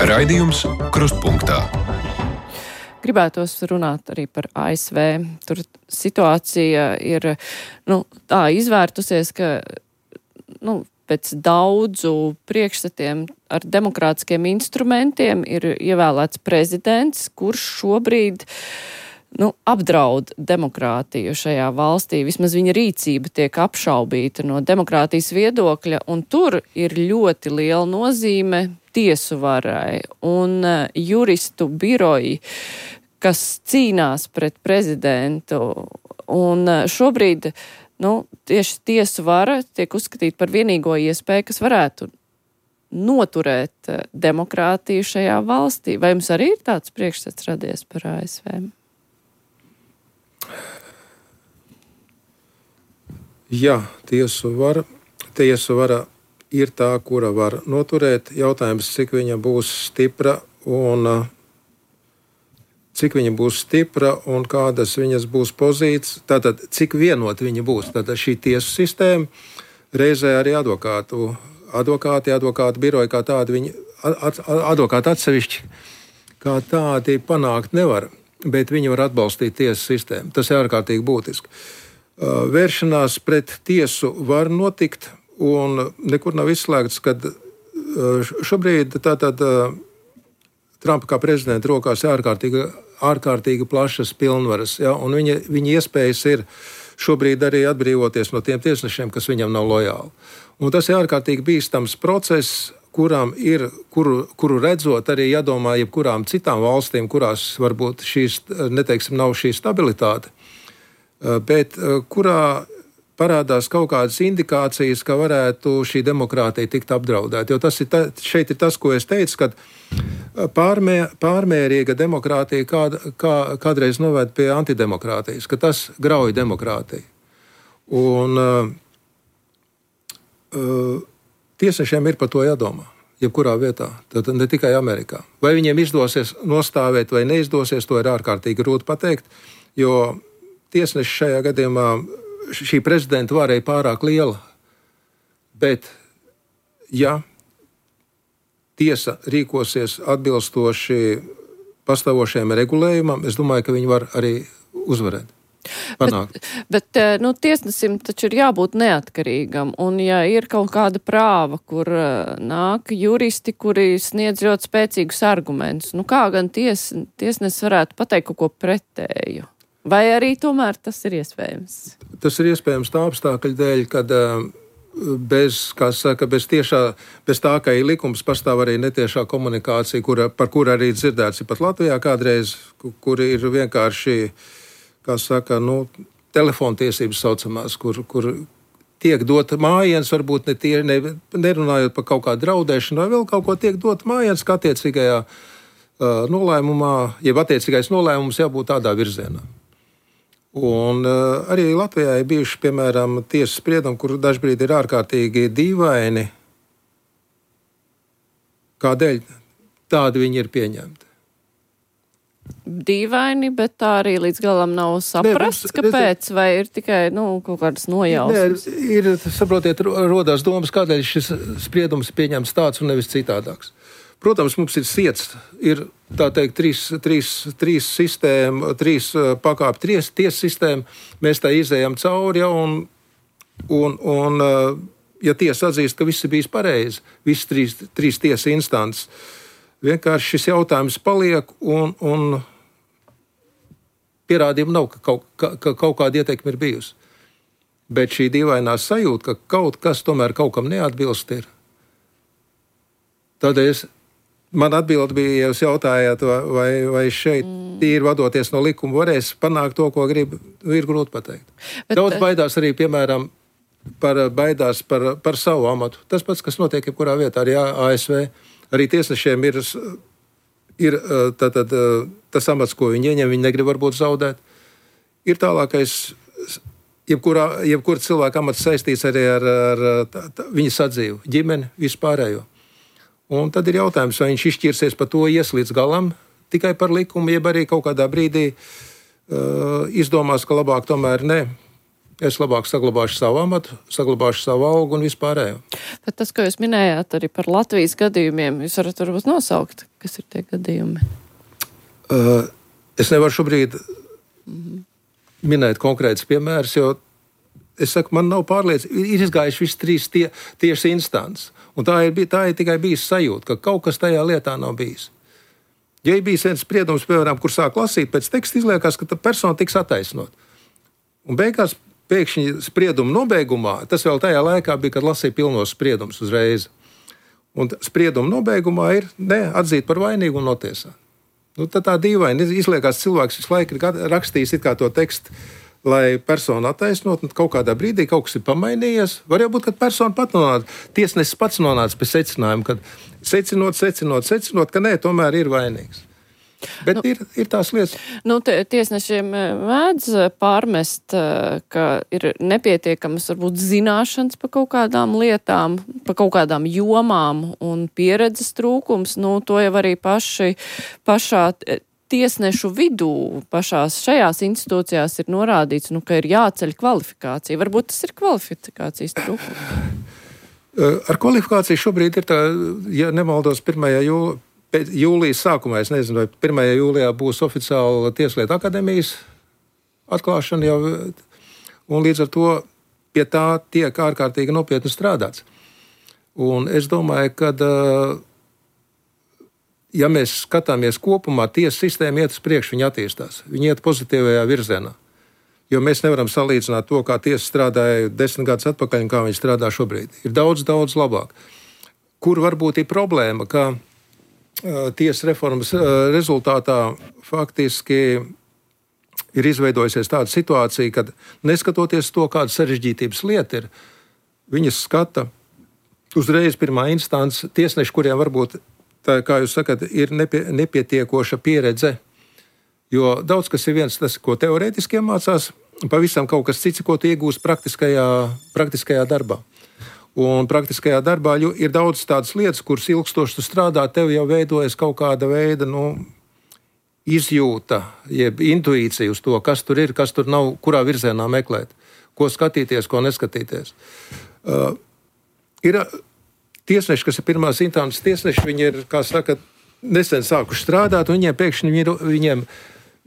Raidījums Krustpunktā. Gribētos runāt arī par A S V. Tur situācija ir nu, tā izvērtusies, ka nu, pēc daudzu priekšstatiem ar demokrātiskiem instrumentiem ir ievēlēts prezidents, kurš šobrīd nu, apdraud demokrātiju šajā valstī. Vismaz viņa rīcība tiek apšaubīta no demokrātijas viedokļa, un tur ir ļoti liela nozīme tiesu varai un uh, juristu biroji, kas cīnās pret prezidentu. Un uh, šobrīd nu, tieši tiesu vara tiek uzskatīta par vienīgo iespēju, kas varētu noturēt uh, demokrātiju šajā valstī. Vai jums arī ir tāds priekšstats radies par A S V? Jā, tiesu vara, tiesu vara ir tā, kura var noturēt. Jautājums, cik viņa būs stipra un cik viņa būs stipra un kādas viņas būs pozīcijas. Tātad, cik vienot viņa būs. Tātad šī tiesu sistēma, reizē arī advokātu, advokāti, advokātu biroji kā tādi, viņi, ad, advokāti atsevišķi kā tādi panākt nevar, bet viņi var atbalstīt tiesu sistēmu. Tas ir ārkārtīgi būtiski. Vēršanās pret tiesu var notikt, un nekur nav izslēgts, ka šobrīd tātad Trumpa kā prezidenta rokās ir ārkārtīgi, ārkārtīgi plašas pilnvaras, ja, un viņa, viņa iespējas ir šobrīd arī atbrīvoties no tiem tiesnešiem, kas viņam nav lojāli. Un tas ir ārkārtīgi bīstams process, kuram ir, kuru, kuru redzot arī jādomā jebkurām citām valstīm, kurās varbūt šīs, neteiksim, nav šī stabilitāte, bet kurā parādās kaut kādas indikācijas, ka varētu šī demokrātija tikt apdraudēta. Jo tas ir ta, šeit ir tas, ko es teicu, kad pārmē, pārmērīga demokrātija kād, kā, kādreiz noved pie antidemokrātijas, ka tas grauj demokrātiju. Un uh, uh, tiesnešiem ir par to jādomā, jebkurā vietā, tad ne tikai Amerikā. Vai viņiem izdosies nostāvēt vai neizdosies, to ir ārkārtīgi grūti pateikt, jo tiesneši šajā gadījumā šī prezidenta vara ir pārāk liela. Bet, ja tiesa rīkosies atbilstoši pastāvošajam regulējumam, es domāju, ka viņi var arī uzvarēt. Panākt. Bet, bet nu, tiesnesim taču ir jābūt neatkarīgam, un ja ir kaut kāda prāva, kur nāk juristi, kuri sniedz ļoti spēcīgus argumentus, nu kā gan ties, tiesnes varētu pateikt kaut ko pretēju? Vai arī tomēr tas ir iespējams? Tas ir iespējams tā apstākļa dēļ, kad bez, kā saka, bez, tiešā, bez tā, ka ir likums, pastāv arī netiešā komunikācija, kura, par kuru arī dzirdēts ir pat Latvijā kādreiz, kur ir vienkārši, kā saka, nu, telefontiesības saucamās, kur, kur tiek dota mājiens, varbūt ne tie, ne, nerunājot par kaut kādu draudēšanu, vai vēl kaut ko tiek dota mājiens, kā attiecīgajā uh, nolēmumā, jeb attiecīgais nolēmums jābūt tādā virzienā. Un uh, arī Latvijā ir bijuši, piemēram, tiesas spriedumi, kur dažbrīd ir ārkārtīgi dīvaini. Kādēļ tādi viņi ir pieņemti? Dīvaini, bet tā arī līdz galam nav saprasts, ne, kāpēc, vai ir tikai, nu, kaut kādas nojausmas? Nē, ir, saprotiet, rodās domas, kādēļ šis spriedums ir pieņemts tāds un nevis citādāks. Protams, mums ir siets, ir, tā teikt, trīs, trīs, trīs sistēma, trīs pakāpju ties, tiesa sistēma, mēs tā izējam cauri, ja, un, un, un, ja tiesa atzīst, ka viss ir bijis pareizi, visas trīs, trīs tiesa instances, vienkārši šis jautājums paliek, un, un pierādījumu nav, ka kaut, ka, ka kaut kāda ieteikuma ir bijusi. Bet šī dīvainā sajūta, ka kaut kas tomēr kaut kam neatbilst ir. Tādēļ es Man atbilde bija, ja jūs jautājāt, vai, vai šeit mm. tīri vadoties no likuma varēs panākt to, ko grib, ir grūti pateikt. Bet, daudz baidās arī, piemēram, par, baidās par, par savu amatu. Tas pats, kas notiek jebkurā vietā, arī A S V. Arī tiesnešiem ir, ir tātad, tas amats, ko viņi ieņem, viņi negrib varbūt zaudēt. Ir tālākais, jebkurā, jebkura cilvēka amats saistīts arī ar, ar tā, tā, viņa sadzīvu, ģimeni, vispārējo. Un tad ir jautājums, vai viņš izšķirsies par to ies līdz galam, tikai par likumu, jeb arī kaut kādā brīdī uh, izdomās, ka labāk tomēr ne. Es labāk saglabāšu savu amatu, saglabāšu savu algu un vispārējo. Bet tas, ko jūs minējāt arī par Latvijas gadījumiem, jūs varat varbūt nosaukt, kas ir tie gadījumi? Uh, es nevaru šobrīd mm-hmm. minēt konkrētus piemērus, jo es saku, man nav pārliecība, ir izgājuši visi trīs tie, tieši instances. Un tā ir, tā ir tikai bijis sajūta, ka kaut kas tajā lietā nav bijis. Ja ir bijis viens spriedums, piemēram, kur sāk lasīt, pēc teksta izliekās, ka tā persona tiks attaisnot. Un beigās pēkšņi sprieduma nobeigumā, tas vēl tajā laikā bija, kad lasīja pilnos spriedumus uzreiz. Un sprieduma nobeigumā ir ne, atzīt par vainīgu un notiesāt. Nu, tad tā dīvaini izliekās cilvēks visu laiku rakstījis it kā to tekstu, lai personu attaisnot, un kaut kādā brīdī kaut kas ir pamainījies. Var jau būt, ka persona pat nonāca, tiesnesis pats nonāca pie secinājuma, kad secinot, secinot, secinot, ka nē, tomēr ir vainīgs. Bet nu, ir, ir tās lietas. Nu, tiesnešiem mēdz pārmest, ka ir nepietiekamas, varbūt, zināšanas par kaut kādām lietām, par kaut kādām jomām un pieredzes trūkums. Nu, to jau arī paši, pašā tiesnešu vidū, pašās šajās institūcijās ir norādīts, nu, ka ir jāceļ kvalifikācija. Varbūt tas ir kvalifikācijas trūkums. Ar kvalifikāciju šobrīd ir tā, ja nemaldos, pirmajā jūlijā, jūlijas sākumā, es nezinu, vai pirmajā jūlijā būs oficiāla Tieslietu akadēmijas atklāšana jau, un līdz ar to pie tā tiek ārkārtīgi nopietni strādāts. Un es domāju, ka ja mēs skatāmies kopumā, tiesa sistēma iet uz priekšu, viņa attīstās. Viņa iet pozitīvajā virzienā. Jo mēs nevaram salīdzināt to, kā tiesa strādāja desmit gadus atpakaļ un kā viņa strādā šobrīd. Ir daudz, daudz labāk. kur varbūt ir problēma, ka tiesas reformas rezultātā faktiski ir izveidojusies tāda situācija, kad neskatoties to, kāda sarežģītības lieta ir, viņas skata uzreiz pirmā instance tiesneši, kuriem varbūt, tā, kā jūs sakat, ir nepie, nepietiekoša pieredze, jo daudz kas ir viens tas, ko teorētiski mācās, pavisam kaut kas cits, ko tu iegūst praktiskajā, praktiskajā darbā. Un praktiskajā darbā ir daudz tādas lietas, kuras ilgstoši tu strādā, tev jau veidojas kaut kāda veida, nu, izjūta, jeb intuīcija uz to, kas tur ir, kas tur nav, kurā virzienā meklēt, ko skatīties, ko neskatīties. Uh, ir tiesneši, kas ir pirmās instances tiesneši, viņi ir, kā saka, nesen sākuši strādāt, un viņiem pēkšņi ir, viņiem,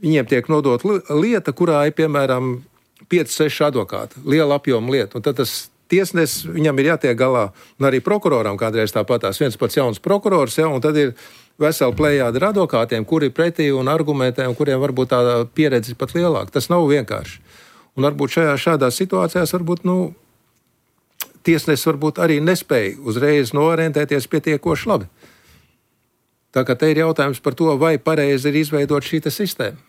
viņiem tiek nodot lieta, kurā ir, piemēram, pieci seši advokāti, liela apjoma lieta, un tad tas tiesnesis, viņam ir jātiek galā, un arī prokuroram kādreiz tāpatās, viens pats jauns prokurors, ja, un tad ir vesela plejāda ar advokātiem, kuri pretī un argumentē, un kuriem varbūt tā pieredze pat lielāka. Tas nav vienkārši. Un varbūt šajā šādās situācijās varbūt, nu, tiesnesis varbūt arī nespēja uzreiz noorientēties pietiekoši labi. Tā kā te ir jautājums par to, vai pareizi ir izveidot šī sistēma.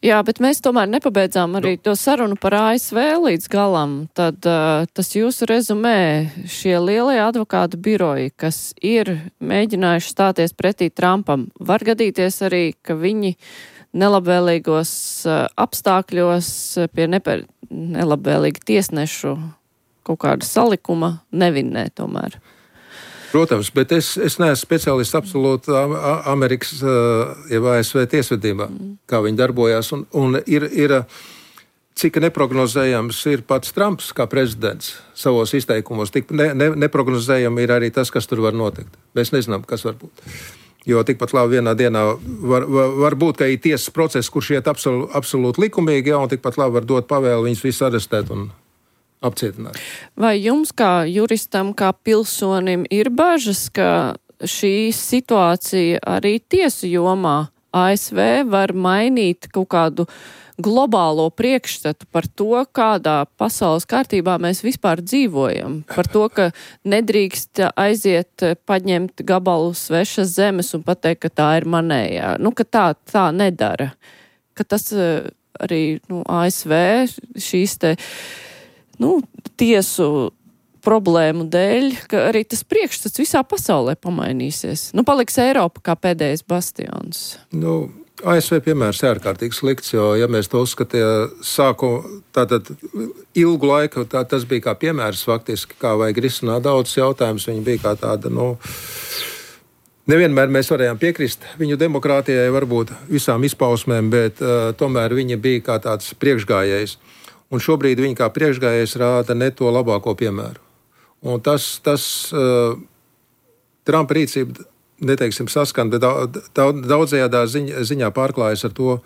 Jā, bet mēs tomēr nepabeidzām arī to sarunu par A S V līdz galam. Tad uh, tas jūsu rezumē, šie lielie advokātu biroji, kas ir mēģinājuši stāties pretī Trumpam, var gadīties arī, ka viņi nelabvēlīgos uh, apstākļos pie neper, nelabvēlīga tiesnešu kaut kāda salikuma nevinnē tomēr. Protams, bet es, es neesmu speciālists absolūti Amerikas, ja A S V tiesvedībā, mm. kā viņi darbojās. Un, un ir, ir, cik neprognozējams ir pats Trumps kā prezidents savos izteikumos, tik ne, ne, neprognozējami ir arī tas, kas tur var notikt. Mēs nezinām, kas var būt. Jo tikpat labi vienā dienā var, var, var būt, ka ir tiesas process, kurš iet absol, absolūti likumīgi, ja, un tikpat labi var dot pavēli viņus visus arestēt un apcietināt. Vai jums kā juristam, kā pilsonim ir bažas, ka šī situācija arī tiesu jomā A S V var mainīt kaut kādu globālo priekšstatu par to, kādā pasaules kārtībā mēs vispār dzīvojam? Par to, ka nedrīkst aiziet paņemt gabalu svešas zemes un pateikt, ka tā ir manējā. Nu, ka tā, tā nedara. Ka tas arī, nu, A S V šīs te Nu, tiesu problēmu dēļ, ka arī tas priekšstats visā pasaulē pamainīsies. Nu, paliks Eiropa kā pēdējais bastions. Nu, A S V piemērs ir ārkārtīgi slikts, jo, ja mēs to uzskatījām sāku, tātad ilgu laiku, tā, tas bija kā piemērs faktiski, kā vajag risināt daudz jautājumus. Viņi bija kā tāda, nu, nevienmēr mēs varējām piekrist viņu demokrātijai, varbūt visām izpausmēm, bet uh, tomēr viņa bija kā tāds priekšgājējs. Un šobrīd viņi kā priekšgājējs rāda ne to labāko piemēru. Un tas, tas uh, Trumpa rīcība, neteiksim, saskan, bet daudzējādā ziņā, ziņā pārklājas ar to,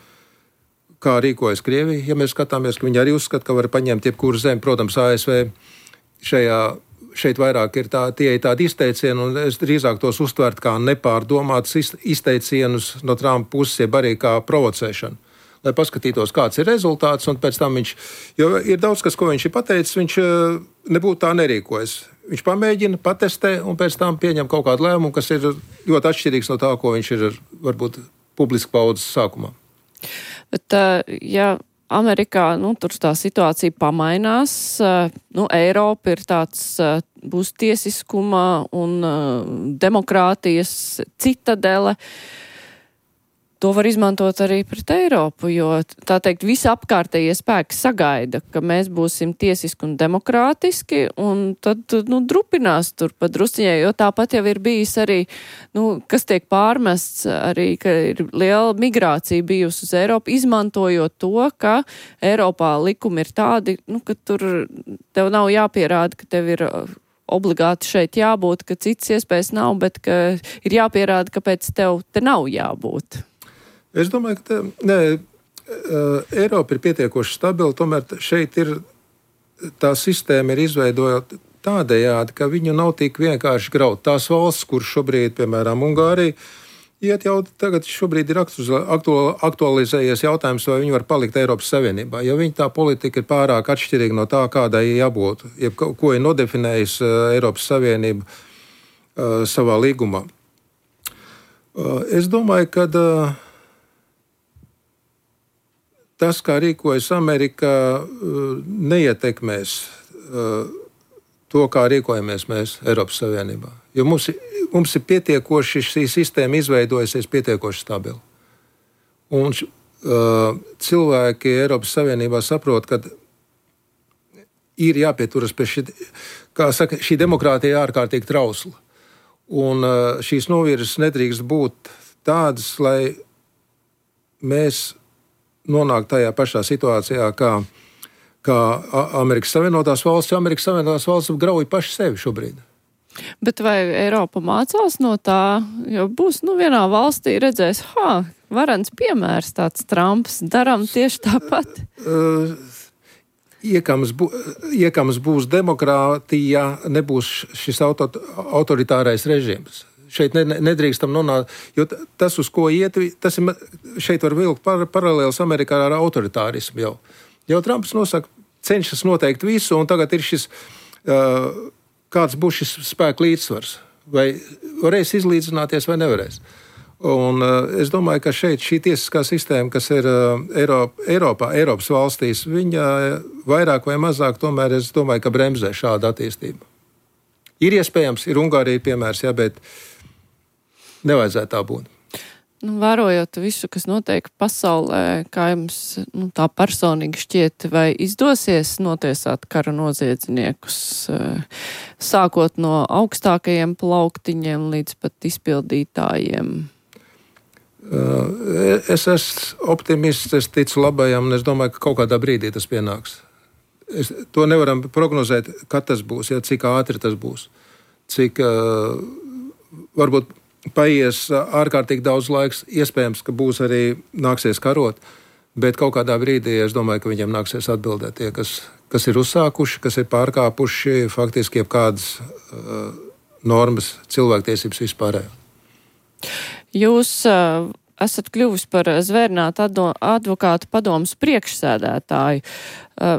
kā rīkojas Krievija. Ja mēs skatāmies, ka viņi arī uzskata, ka var paņemt jebkuru zemi, protams, A S V šajā, šeit vairāk ir tā, tie ir tādi izteicieni, un es drīzāk tos uztvert kā nepārdomātus izteicienus no Trumpa puses, jeb arī kā provocēšanu. Lai paskatītos, kāds ir rezultāts, un pēc tam viņš, jo ir daudz kas, ko viņš ir pateicis, viņš nebūtu tā nerīkojas. Viņš pamēģina, patestē, un pēc tam pieņem kaut kādu lēmumu, kas ir ļoti atšķirīgs no tā, ko viņš ir varbūt publiski paudzes sākumā. Bet, ja Amerikā, nu, tur tā situācija pamainās, nu, Eiropa ir tāds, būs tiesiskuma un demokrātijas citadele, to var izmantot arī pret Eiropu, jo, tā teikt, visa apkārtējie spēki sagaida, ka mēs būsim tiesiski un demokrātiski, un tad, nu, drupinās tur pa drusciņai, jo tāpat jau ir bijis arī, nu, kas tiek pārmests arī, ka ir liela migrācija bijusi uz Eiropu, izmantojot to, ka Eiropā likumi ir tādi, nu, ka tur tev nav jāpierāda, ka tev ir obligāti šeit jābūt, ka citas iespējas nav, bet ka ir jāpierāda, kāpēc tev te nav jābūt. Es domāju, ka te, ne, Eiropa ir pietiekoši stabila, tomēr šeit ir tā sistēma ir izveidota tādējādi, ka viņu nav tik vienkārši graut. Tās valsts, kur šobrīd, piemēram, Ungārija, Iet jau tagad šobrīd ir aktualizējies jautājums, vai viņi var palikt Eiropas Savienībā, jo viņa tā politika ir pārāk atšķirīga no tā, kādai jābūt, jeb ko ir nodefinējis Eiropas Savienība uh, savā līgumā. Uh, es domāju, ka uh, tas, kā rīkojas Amerika, uh, neietekmēs uh, to, kā rīkojamies mēs Eiropas Savienībā. Jo mums, mums ir pietiekoši, šī sistēma izveidojusies pietiekoši stabili. Un uh, cilvēki Eiropas Savienībā saprot, ka ir jāpieturas pie šī, kā saka, šī demokrātija ārkārtīgi trausla. Un uh, šīs novirzes nedrīkst būt tādas, lai mēs nonāktu tajā pašā situācijā, kā, kā Amerikas Savienotās valsts, jo Amerikas Savienotās valsts grauj paši sevi šobrīd. Bet vai Eiropa mācās no tā, jo būs, nu, vienā valstī redzēs, ha, varens piemērs tāds Trumps, daram tieši tāpat? Uh, iekams, bū, iekams būs demokrātija, nebūs šis auto, autoritārais režīms. Šeit ne, nedrīkstam nonākt, jo tas, uz ko iet, tas ir, šeit var vilkt par, paralēls Amerikā ar autoritārismu jau. Jau Trumps nosaka, cenšas noteikt visu, un tagad ir šis... Uh, kāds būs šis spēku līdzsvars, vai varēs izlīdzināties vai nevarēs. Un uh, es domāju, ka šeit šī tiesiskā sistēma, kas ir uh, Eiropa, Eiropā, Eiropas valstīs, viņa vairāk vai mazāk tomēr, es domāju, ka bremzē šādu attīstību. Ir iespējams, ir Ungārija piemērs, jā, bet nevajadzētu tā būt. Nu, vērojot visu, kas notiek pasaulē, kā jums, nu, tā personīgi šķiet, vai izdosies notiesāt kara noziedzniekus, sākot no augstākajiem plauktiņiem līdz pat izpildītājiem? Es esmu optimists, es ticu labajam, un es domāju, ka kaut kādā brīdī tas pienāks. Es, to nevaram prognozēt, kad tas būs, ja, cik ātri tas būs, cik uh, varbūt paies ārkārtīgi daudz laiks, iespējams, ka būs arī nāksies karot, bet kaut kādā brīdī es domāju, ka viņiem nāksies atbildēt tie, kas, kas ir uzsākuši, kas ir pārkāpuši faktiski jebkādas uh, normas, cilvēktiesības vispārējo. Jūs uh, esat kļuvis par zvērnātu advokātu padomas priekšsēdētāju. Uh,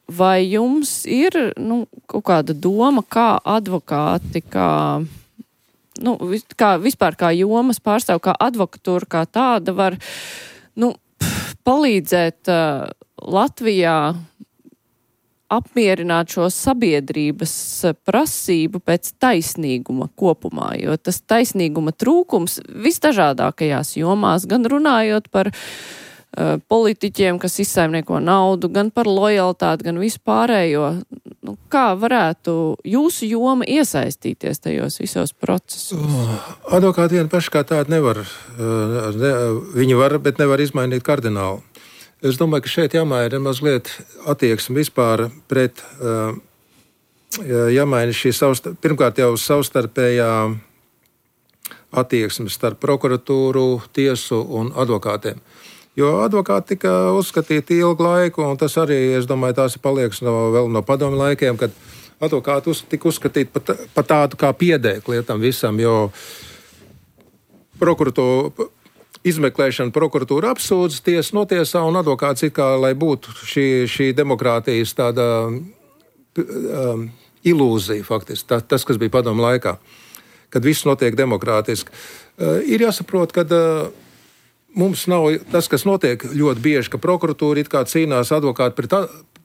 vai jums ir, nu, kaut kāda doma, kā advokāti, kā... Nu, kā, vispār kā jomas pārstāv, kā advokatūra, kā tāda var, nu, palīdzēt uh, Latvijā apmierināt šo sabiedrības prasību pēc taisnīguma kopumā, jo tas taisnīguma trūkums visdažādākajās jomās, gan runājot par uh, politiķiem, kas izsaimnieko naudu, gan par lojalitāti, gan vispārējo. Nu, kā varētu jūsu joma iesaistīties tajos visos procesos? Advokāti vien paši kā tādi nevar, ne, viņi var, bet nevar izmainīt kardināli. Es domāju, ka šeit jāmaina mazliet attieksme vispār pret, jāmaina šī savstarp, pirmkārt jau savstarpējā attieksme starp prokuratūru, tiesu un advokātiem. Jo advokāti tika uzskatīti ilgu laiku, un tas arī, es domāju, tās ir palieks no, vēl no padomju laikiem, kad advokāti uz, tika uzskatīti pat, pat tādu kā piedēkli tam visam, jo prokuratūra, izmeklēšana prokuratūra apsūdz, tiesa notiesā, un advokāts it kā, lai būtu šī, šī demokrātijas tāda um, ilūzija faktiski, tā, tas, kas bija padomju laikā, kad viss notiek demokrātiski. Uh, ir jāsaprot, kad uh, mums nav tas, kas notiek ļoti bieži, ka prokuratūra it kā cīnās advokāti pret,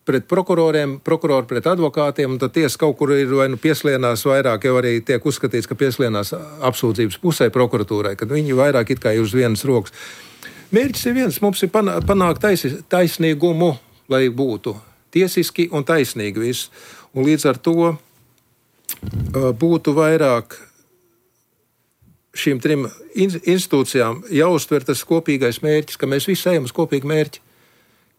pret prokuroriem, prokurori pret advokātiem, un tad tiesa kaut kur ir vai nu pieslienās vairāk, jau arī tiek uzskatīts, ka pieslienās apsūdzības pusē prokuratūrai, kad viņi vairāk it kā ir uz vienas rokas. Mērķis ir viens, mums ir panākt tais, taisnīgumu, lai būtu tiesiski un taisnīgi viss. Un līdz ar to būtu vairāk šīm trim institūcijām jāuztver tas kopīgais mērķis, ka mēs visi ejam uz kopīgu mērķi,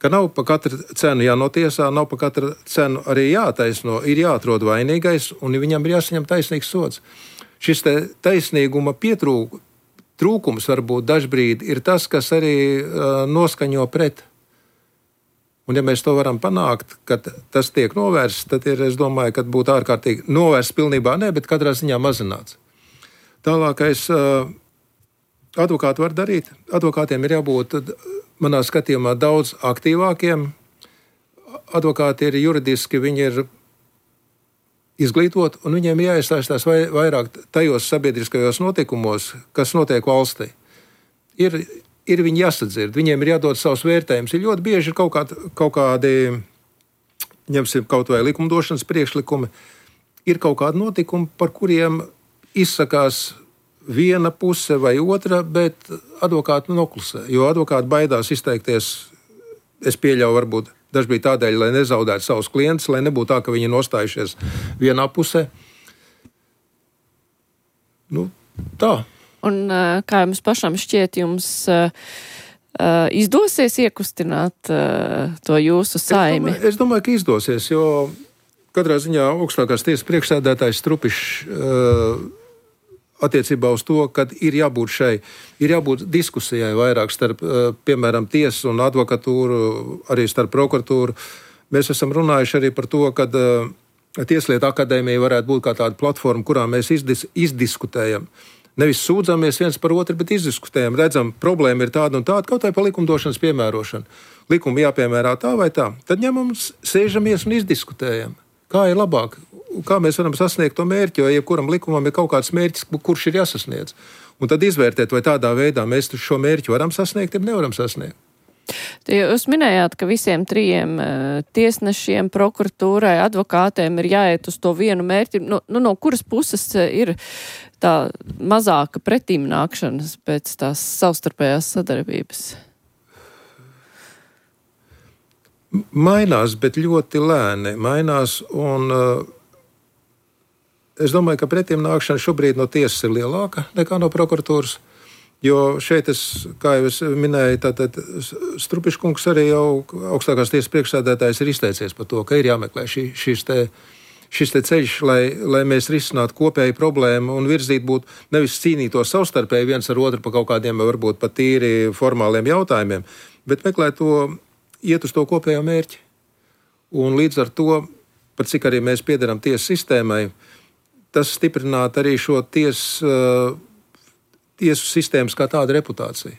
ka nav pa katru cenu jānotiesā, nav pa katru cenu arī jātaisno, ir jāatrod vainīgais un viņam ir jāsaņem taisnīgs sods. Šis te taisnīguma pietrūk, trūkums varbūt dažbrīd ir tas, kas arī uh, noskaņo pret. Un ja mēs to varam panākt, kad tas tiek novērsts, tad ir, es domāju, ka būtu ārkārtīgi novērsts pilnībā ne, bet katrā ziņā mazināts. Tālākais, advokāti var darīt. Advokātiem ir jābūt, manā skatījumā, daudz aktīvākiem. Advokāti ir juridiski, viņi ir izglītot, un viņiem jāiesaistās vai, vairāk tajos sabiedriskajos notikumos, kas notiek valstī. Ir, ir viņi jāsadzird, viņiem ir jādod savus vērtējumus. Ir ļoti bieži kaut, kā, kaut kādi, ņemsim kaut vai likumdošanas priekšlikumi, ir kaut kādi notikumi, par kuriem izsakās viena puse vai otra, bet advokāti noklusē, jo advokāti baidās izteikties, es pieļauju varbūt, daži bija tādēļ, lai nezaudētu savus klientus, lai nebūtu tā, ka viņi nostājušies vienā pusē. Nu, tā. Un kā jums pašam šķiet, jums uh, izdosies iekustināt uh, to jūsu saimi? Es domāju, es domāju, ka izdosies, jo katrā ziņā augstākās tiesas priekšsēdētājs Strupišs uh, attiecībā uz to, kad ir jābūt šai, ir jābūt diskusijai vairāk starp, piemēram, tiesu un advokatūru, arī starp prokuratūru. Mēs esam runājuši arī par to, ka Tieslietu akadēmija varētu būt kā tāda platforma, kurā mēs izdis, izdiskutējam. Nevis sūdzamies viens par otru, bet izdiskutējam. Redzam, problēma ir tāda un tāda, kaut vai par likumdošanas piemērošanu. Likumi jāpiemērā tā vai tā. Tad ņemam, sēžamies un izdiskutējam. Kā ir labāk? Kā mēs varam sasniegt to mērķi, jo jebkuram likumam ir kaut kāds mērķis, kurš ir jāsasniedz. Un tad izvērtēt, vai tādā veidā mēs šo mērķi varam sasniegt, ja nevaram sasniegt. Jūs minējāt, ka visiem trījiem tiesnešiem, prokuratūrai, advokātiem ir jāiet uz to vienu mērķi. No, nu, no kuras puses ir tā mazāka pretīmnākšanas pēc tās savstarpējās sadarbības? Mainās, bet ļoti lēni. Mainās un uh, es domāju, ka pretim nākšana šobrīd no tiesas ir lielāka nekā no prokuratūras, jo šeit es, kā jau es minēju, tātad Strupiškungs arī jau augstākās tiesas priekšsēdētājs ir izteicies par to, ka ir jāmeklē šī, šis, te, šis te ceļš, lai, lai mēs risinātu kopēju problēmu un virzīt būtu nevis cīnītos savstarpēji viens ar otru par kaut kādiem varbūt pat tīri formāliem jautājumiem, bet meklēt to, iet uz to kopējo mērķi. Un līdz ar to, par cik arī mēs piederam tiesas sistēmai, tas stiprinātu arī šo ties, uh, tiesu sistēmas kā tādu reputāciju.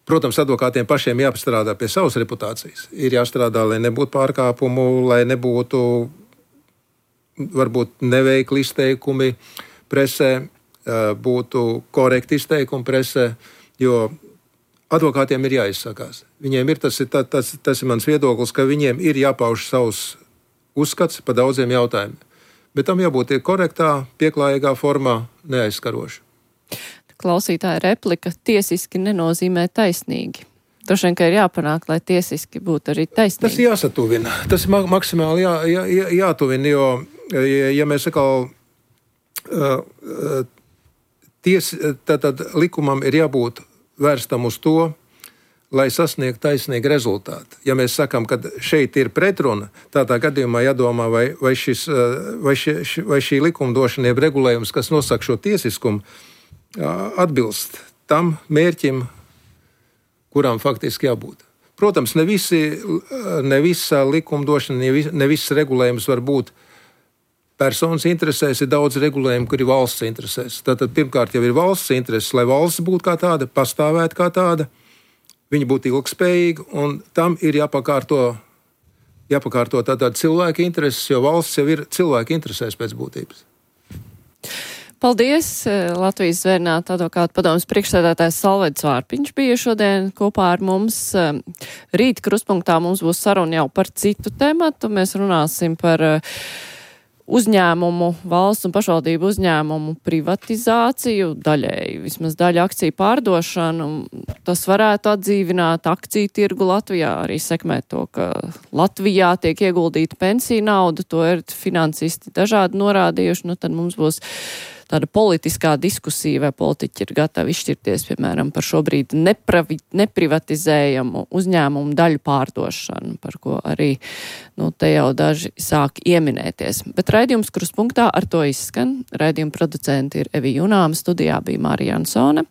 Protams, advokātiem pašiem jāpastrādā pie savas reputācijas. Ir jāstrādā, lai nebūtu pārkāpumu, lai nebūtu varbūt neveikli izteikumi presē, uh, būtu korekti izteikumi presē, jo advokātiem ir jāizsakās. Viņiem ir tas, tas, tas, tas ir mans viedoklis, ka viņiem ir jāpauž savus uzskats par daudziem jautājumiem. Bet tam jābūt korektā, pieklājīgā formā, neaizskaroši. Klausītāja replika tiesiski nenozīmē taisnīgi. Droši vien, ka ir jāpanāk, lai tiesiski būtu arī taisnīgi. Tas jāsatuvina. Tas ir ma- maksimāli jā, jā, jā, jātuvina, jo, ja, ja mēs sakal, uh, ties, tad, tad likumam ir jābūt vērstam uz to, lai sasniegtu taisnīgu rezultātu. Ja mēs sakām, ka šeit ir pretruna, tādā gadījumā jādomā, vai, vai, šis, vai, šī, vai šī likumdošana ir regulējums, kas nosaka šo tiesiskumu, atbilst tam mērķim, kurām faktiski jābūt. Protams, ne, visi, ne visa likumdošana, ne, vis, ne viss regulējums var būt personas interesēs, ir daudz regulējumu, kur ir valsts interesēs. Tātad pirmkārt jau ir valsts intereses, lai valsts būtu kā tāda, pastāvētu kā tāda, viņi būtu ilgspējīgi, un tam ir jāpakārto, jāpakārto tātad cilvēka intereses, jo valsts jau ir cilvēka interesēs pēc būtības. Paldies! Latvijas Zvērnāta advokāta padomes priekšsēdētājs Salvedis Vārpiņš bija šodien kopā ar mums. Rīt kruspunktā mums būs saruna jau par citu tematu. Mēs runāsim par uzņēmumu, valsts un pašvaldību uzņēmumu privatizāciju, daļēji, vismaz daļa akciju pārdošanu. Tas varētu atdzīvināt akciju tirgu Latvijā, arī sekmēt to, ka Latvijā tiek ieguldīta pensiju nauda, to ir finansisti dažādi norādījuši, nu tad mums būs tāda politiskā diskusija, vai politiķi ir gatavi izšķirties, piemēram, par šobrīd nepravi, neprivatizējamu uzņēmumu daļu pārdošanu, par ko arī, nu, te jau daži sāk ieminēties. Bet raidījums Kruspunktā ar to izskan. Raidījuma producenti ir Evi Junāma, studijā bija Mārija Ansone.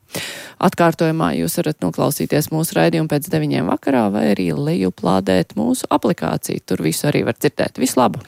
Atkārtojumā jūs varat noklausīties mūsu raidījumu pēc deviņiem vakarā vai arī lejuplādēt mūsu aplikāciju. Tur visu arī var dzirdēt. Visu labu!